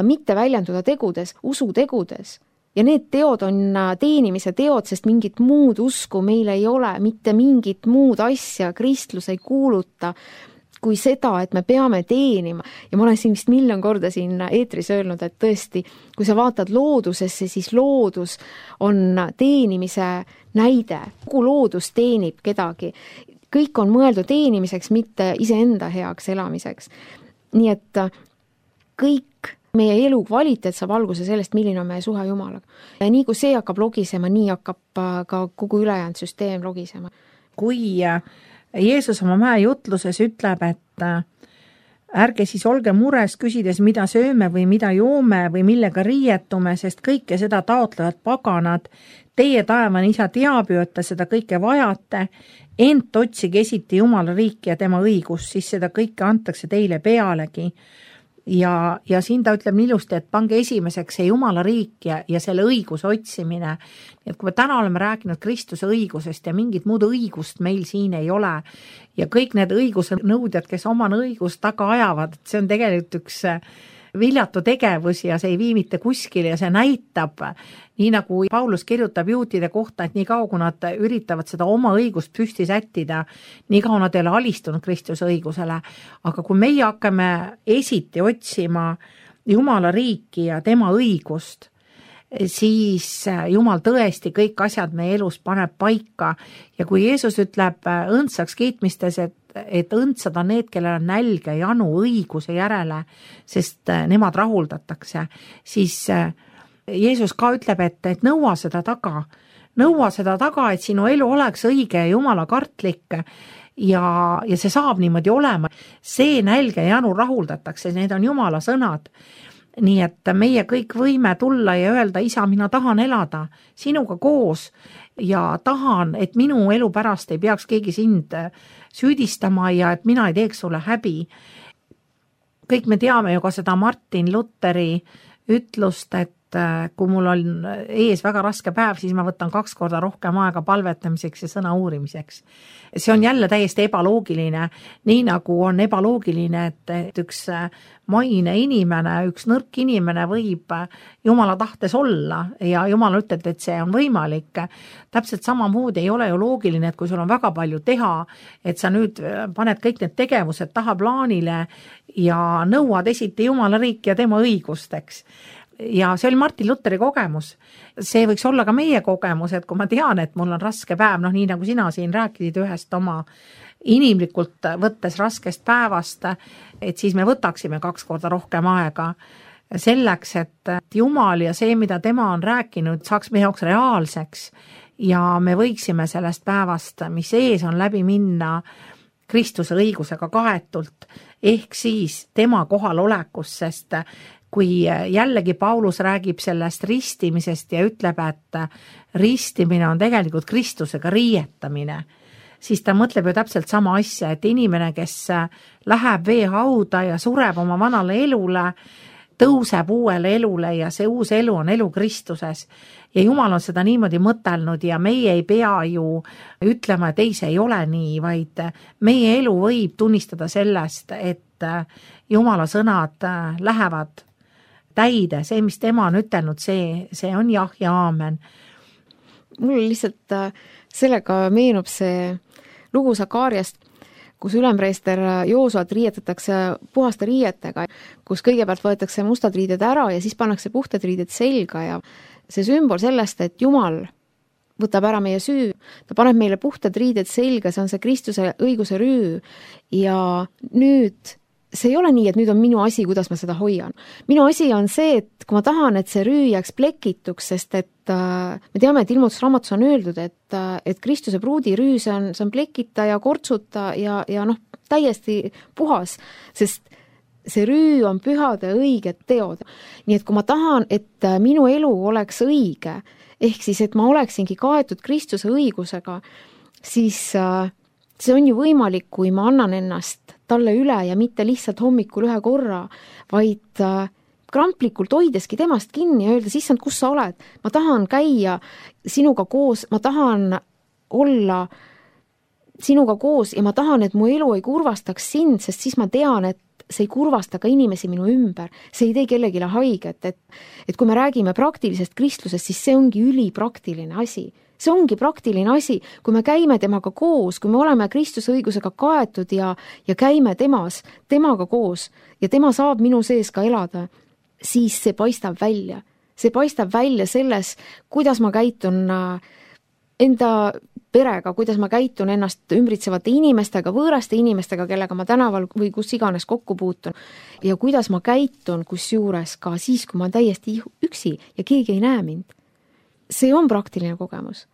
mitte väljenduda tegudes, usutegudes. Ja need teod on teenimise teod, sest mingit muud usku meil ei ole, mitte mingit muud asja kristlus ei kuuluta kui seda, et me peame teenima. Ja ma olen siin vist miljon korda siin eetris öelnud, et tõesti, kui sa vaatad loodusesse, siis loodus on teenimise näide. Kogu loodus teenib kedagi. Kõik on mõeldud teenimiseks, mitte iseenda heaks elamiseks. Nii et kõik meie elu kvaliteet saab alguse sellest, milline on meie suhe Jumalaga. Ja nii kui see hakkab logisema, nii hakkab ka kogu ülejäänud süsteem logisema. Kui Jeesus oma mäejutluses ütleb, et ärge siis olge mures küsides, mida sööme või mida joome või millega riietume, sest kõike seda taotlevad paganad. Teie taevane isa teab ju, et te seda kõike vajate, ent otsige esiti Jumala riiki ja tema õigus, siis seda kõike antakse teile pealegi. Ja, ja siin ta ütleb ilusti, et pange esimeseks see Jumala riik ja, ja selle õiguse otsimine. Et kui me täna oleme rääkinud Kristuse õigusest ja mingit muud õigust meil siin ei ole ja kõik need õiguse nõudjad, kes oma õigust taga ajavad, see on tegelikult üks viljatu tegevus ja see ei vii mitte kuskile ja see näitab, nii nagu Paulus kirjutab juutide kohta, et nii kaua, kui nad üritavad seda oma õigust püsti sättida, nii kaua nad ei ole alistunud Kristuse õigusele. Aga kui meie hakkame esiti otsima Jumala riiki ja tema õigust, siis Jumal tõesti kõik asjad meie elus paneb paika ja kui Jeesus ütleb õndsaks kiitmistes, et, et õndsad on need, kellel on nälg ja janu õiguse järele, sest nemad rahuldatakse, siis Jeesus ka ütleb, et, et nõua seda taga, nõua seda taga, et sinu elu oleks õige ja Jumala kartlik ja, ja see saab niimoodi olema. See nälg ja janu rahuldatakse, need on Jumala sõnad. Nii et meie kõik võime tulla ja öelda, isa, mina tahan elada sinuga koos ja tahan, et minu elu pärast ei peaks keegi sind süüdistama ja et mina ei teeks sulle häbi. Kõik me teame ju ka seda Martin Lutheri ütlust, et kui mul on ees väga raske päev, siis ma võtan kaks korda rohkem aega palvetamiseks ja sõna uurimiseks. See on jälle täiesti ebaloogiline, nii nagu on ebaloogiline, et üks maine inimene, üks nõrk inimene võib Jumala tahtes olla ja Jumal ütleb, et see on võimalik. Täpselt samamoodi ei ole ju loogiline, et kui sul on väga palju teha, et sa nüüd paned kõik need tegevused taha plaanile ja nõuad esiti Jumala riiki ja tema õigusteks. Ja see oli Martin Lutheri kogemus. See võiks olla ka meie kogemus, et kui ma tean, et mul on raske päev, noh nii nagu sina siin rääkisid ühest oma inimlikult võttes raskest päevast, et siis me võtaksime kaks korda rohkem aega selleks, et Jumal ja see, mida tema on rääkinud, saaks meie jaoks reaalseks ja me võiksime sellest päevast, mis ees on, läbi minna Kristuse õigusega kaetult, ehk siis tema kohalolekus, sest kui jällegi Paulus räägib sellest ristimisest ja ütleb, et ristimine on tegelikult Kristusega riietamine, siis ta mõtleb ju täpselt sama asja, et inimene, kes läheb veehauda ja sureb oma vanale elule, tõuseb uuele elule ja see uus elu on elu Kristuses. Ja Jumal on seda niimoodi mõtelnud ja meie ei pea ju ütlema, et ei, see ei ole nii, vaid meie elu võib tunnistada sellest, et Jumala sõnad lähevad täide, see, mis tema on ütelnud, see, see on jah ja aamen. Mul lihtsalt sellega meenub see lugu Sakariast, kus ülempreester Joosuat riietatakse puhaste riietega, kus kõigepealt võetakse mustad riided ära ja siis pannakse puhtad riided selga ja see sümbol sellest, et Jumal võtab ära meie süü, ta paneb meile puhtad riided selga, see on see Kristuse õiguse rüü ja nüüd see ei ole nii, et nüüd on minu asi, kuidas ma seda hoian. Minu asi on see, et kui ma tahan, et see rüü jääks plekituks, sest et äh, me teame, et ilmutusraamatus on öeldud, et, äh, et Kristuse pruudi rüü, see on, see on plekita ja kortsuta ja, ja noh, täiesti puhas, sest see rüü on pühade õiged teod. Nii et kui ma tahan, et minu elu oleks õige, ehk siis, et ma oleksingi kaetud Kristuse õigusega, siis äh, see on ju võimalik, kui ma annan ennast talle üle ja mitte lihtsalt hommikul ühe korra, vaid äh, kramplikult hoideski temast kinni ja öelda, issand, kus sa oled? Ma tahan käia sinuga koos, ma tahan olla sinuga koos ja ma tahan, et mu elu ei kurvastaks sind, sest siis ma tean, et see ei kurvasta ka inimesi minu ümber, see ei tee kellegile haiget, et, et kui me räägime praktilisest kristlusest, siis see ongi ülipraktiline asi. See ongi praktiline asi, kui me käime temaga koos, kui me oleme Kristuse õigusega kaetud ja, ja käime temas, temaga koos ja tema saab minu sees ka elada, siis see paistab välja. See paistab välja selles, kuidas ma käitun enda perega, kuidas ma käitun ennast ümbritsevate inimestega, võõraste inimestega, kellega ma tänaval või kus iganes kokku puutun. Ja kuidas ma käitun kusjuures ka siis, kui ma olen täiesti üksi ja keegi ei näe mind. See on praktiline kogemus.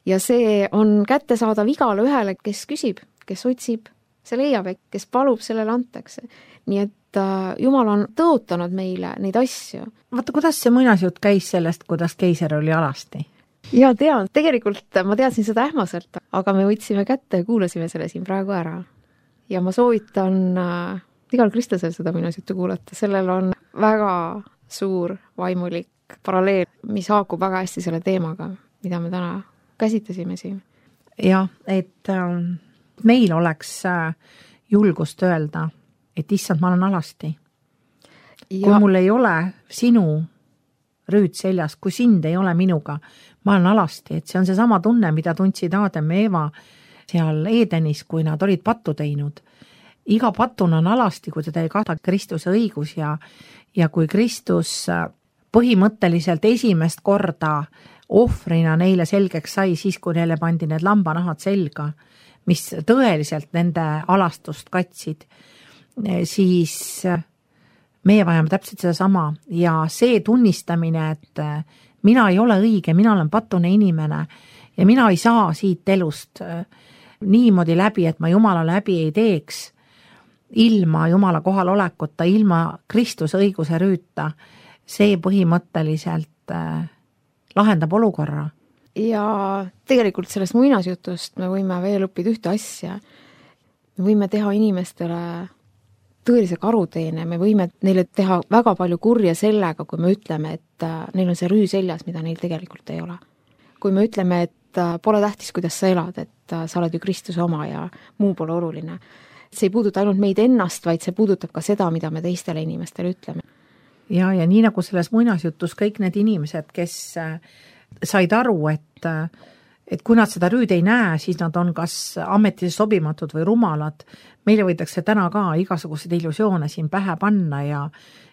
Ja see on kättesaadav igale ühele, kes küsib, kes otsib, see leiab, kes palub, sellele antakse. Nii et Jumal on tõotanud meile neid asju. Vaata, kuidas see muinasjutt käis sellest, kuidas keiser oli alasti? Ja tean, tegelikult ma teadsin seda ähmaselt, aga me võtsime kätte ja kuulasime selle siin praegu ära. Ja ma soovitan äh, igal kristlasel seda muinasjuttu kuulata. Sellel on väga suur vaimulik paralleel, mis haakub väga hästi selle teemaga, mida me täna käsitlesime siin. Ja, et äh, meil oleks äh, julgust öelda, et issand, ma olen alasti. Ja. Kui mul ei ole sinu rüüd seljas, kui sind ei ole minuga, ma olen alasti, et see on see sama tunne, mida tundsid Aadam ja Eeva seal Edenis, kui nad olid pattu teinud. Iga patuna on alasti, kui teda ei kata Kristuse õigus ja, ja kui Kristus põhimõtteliselt esimest korda ohvrina neile selgeks sai, siis kui neile pandi need lambanahad selga, mis tõeliselt nende alastust katsid, siis meie vajame täpselt seda sama ja see tunnistamine, et mina ei ole õige, mina olen patune inimene ja mina ei saa siit elust niimoodi läbi, et ma Jumala läbi ei teeks ilma Jumala kohal olekuta, ilma Kristuse õiguse rüüta, see põhimõtteliselt lahendab olukorra. Ja tegelikult sellest muinasjutust me võime veel õppida ühte asja. Me võime teha inimestele tõelise karuteene, me võime neile teha väga palju kurja sellega, kui me ütleme, et neil on see rüü seljas, mida neil tegelikult ei ole. Kui me ütleme, et pole tähtis, kuidas sa elad, et sa oled ju Kristuse oma ja muu pole oluline. See ei puuduta ainult meid ennast, vaid see puudutab ka seda, mida me teistele inimestele ütleme. Ja, ja nii nagu selles muinasjutus kõik need inimesed, kes said aru, et et kui nad seda rüüd ei näe, siis nad on kas ametisse sobimatud või rumalad. Meile võidakse täna ka igasuguseid illusioone siin pähe panna ja,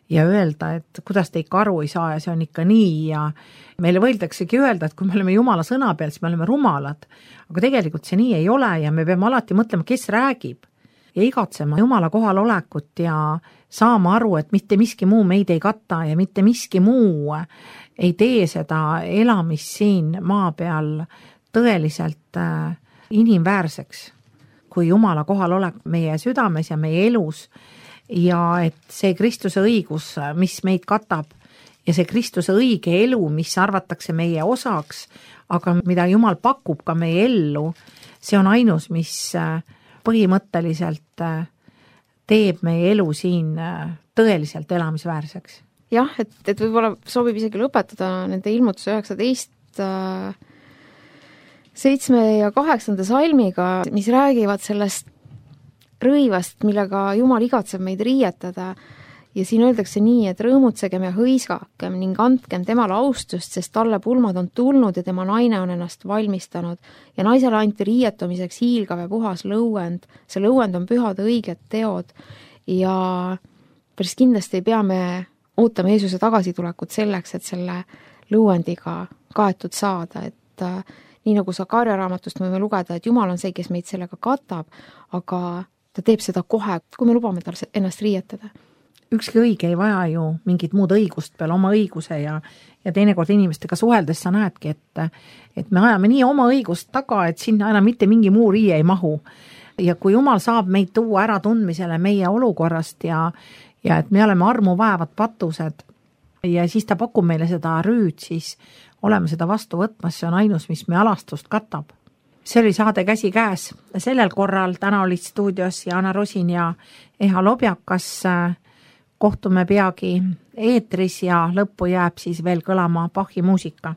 ja öelda, et kuidas te ikka aru ei saa ja see on ikka nii ja meile võidaksegi öelda, et kui me oleme Jumala sõna peal, siis me oleme rumalad. Aga tegelikult see nii ei ole ja me peame alati mõtlema, kes räägib ja igatsema Jumala kohal olekut ja saama aru, et mitte miski muu meid ei kata ja mitte miski muu ei tee seda elamist siin maa peal tõeliselt äh, inimväärseks, kui Jumala kohal olek meie südames ja meie elus ja et see Kristuse õigus, mis meid katab ja see Kristuse õige elu, mis arvatakse meie osaks, aga mida Jumal pakub ka meie ellu, see on ainus, mis äh, põhimõtteliselt äh, teeb meie elu siin äh, tõeliselt elamisväärseks. Jah, et, et võib-olla soovib isegi lõpetada nende ilmutuse üheksateist äh, seitsme ja kaheksanda salmiga, mis räägivad sellest rõivast, millega Jumal igatseb meid riietada. Ja siin öeldakse nii, et rõõmutsegem ja hõiskakem ning andkem temale austust, sest talle pulmad on tulnud ja tema naine on ennast valmistanud. Ja naisele anti riietumiseks hiilgav ja puhas lõuend. See lõuend on pühade õiged teod ja päris kindlasti ei pea me ootame Jeesuse tagasitulekut selleks, et selle lõuendiga kaetud saada, et nii nagu Sakaria raamatust võime lugeda, et Jumal on see, kes meid sellega katab, aga ta teeb seda kohe, kui me lubame tal ennast riietada. Ükski õige ei vaja ju mingit muud õigust peale oma õiguse ja, ja teinekord inimestega suheldes sa näedki, et, et me ajame nii oma õigust taga, et sinna enam mitte mingi muu riie ei mahu. Ja kui Jumal saab meid tuua ära tundmisele meie olukorrast ja, ja et me oleme armu vaevad patused ja siis ta pakub meile seda rüüd, siis oleme seda vastu võtmas, see on ainus, mis me alastust katab. See oli saade Käsi käes. Sellel korral täna olid stuudios Jana Rosin ja Eha Lobjakas. Kohtume peagi eetris ja lõppu jääb siis veel kõlama Bachi muusika.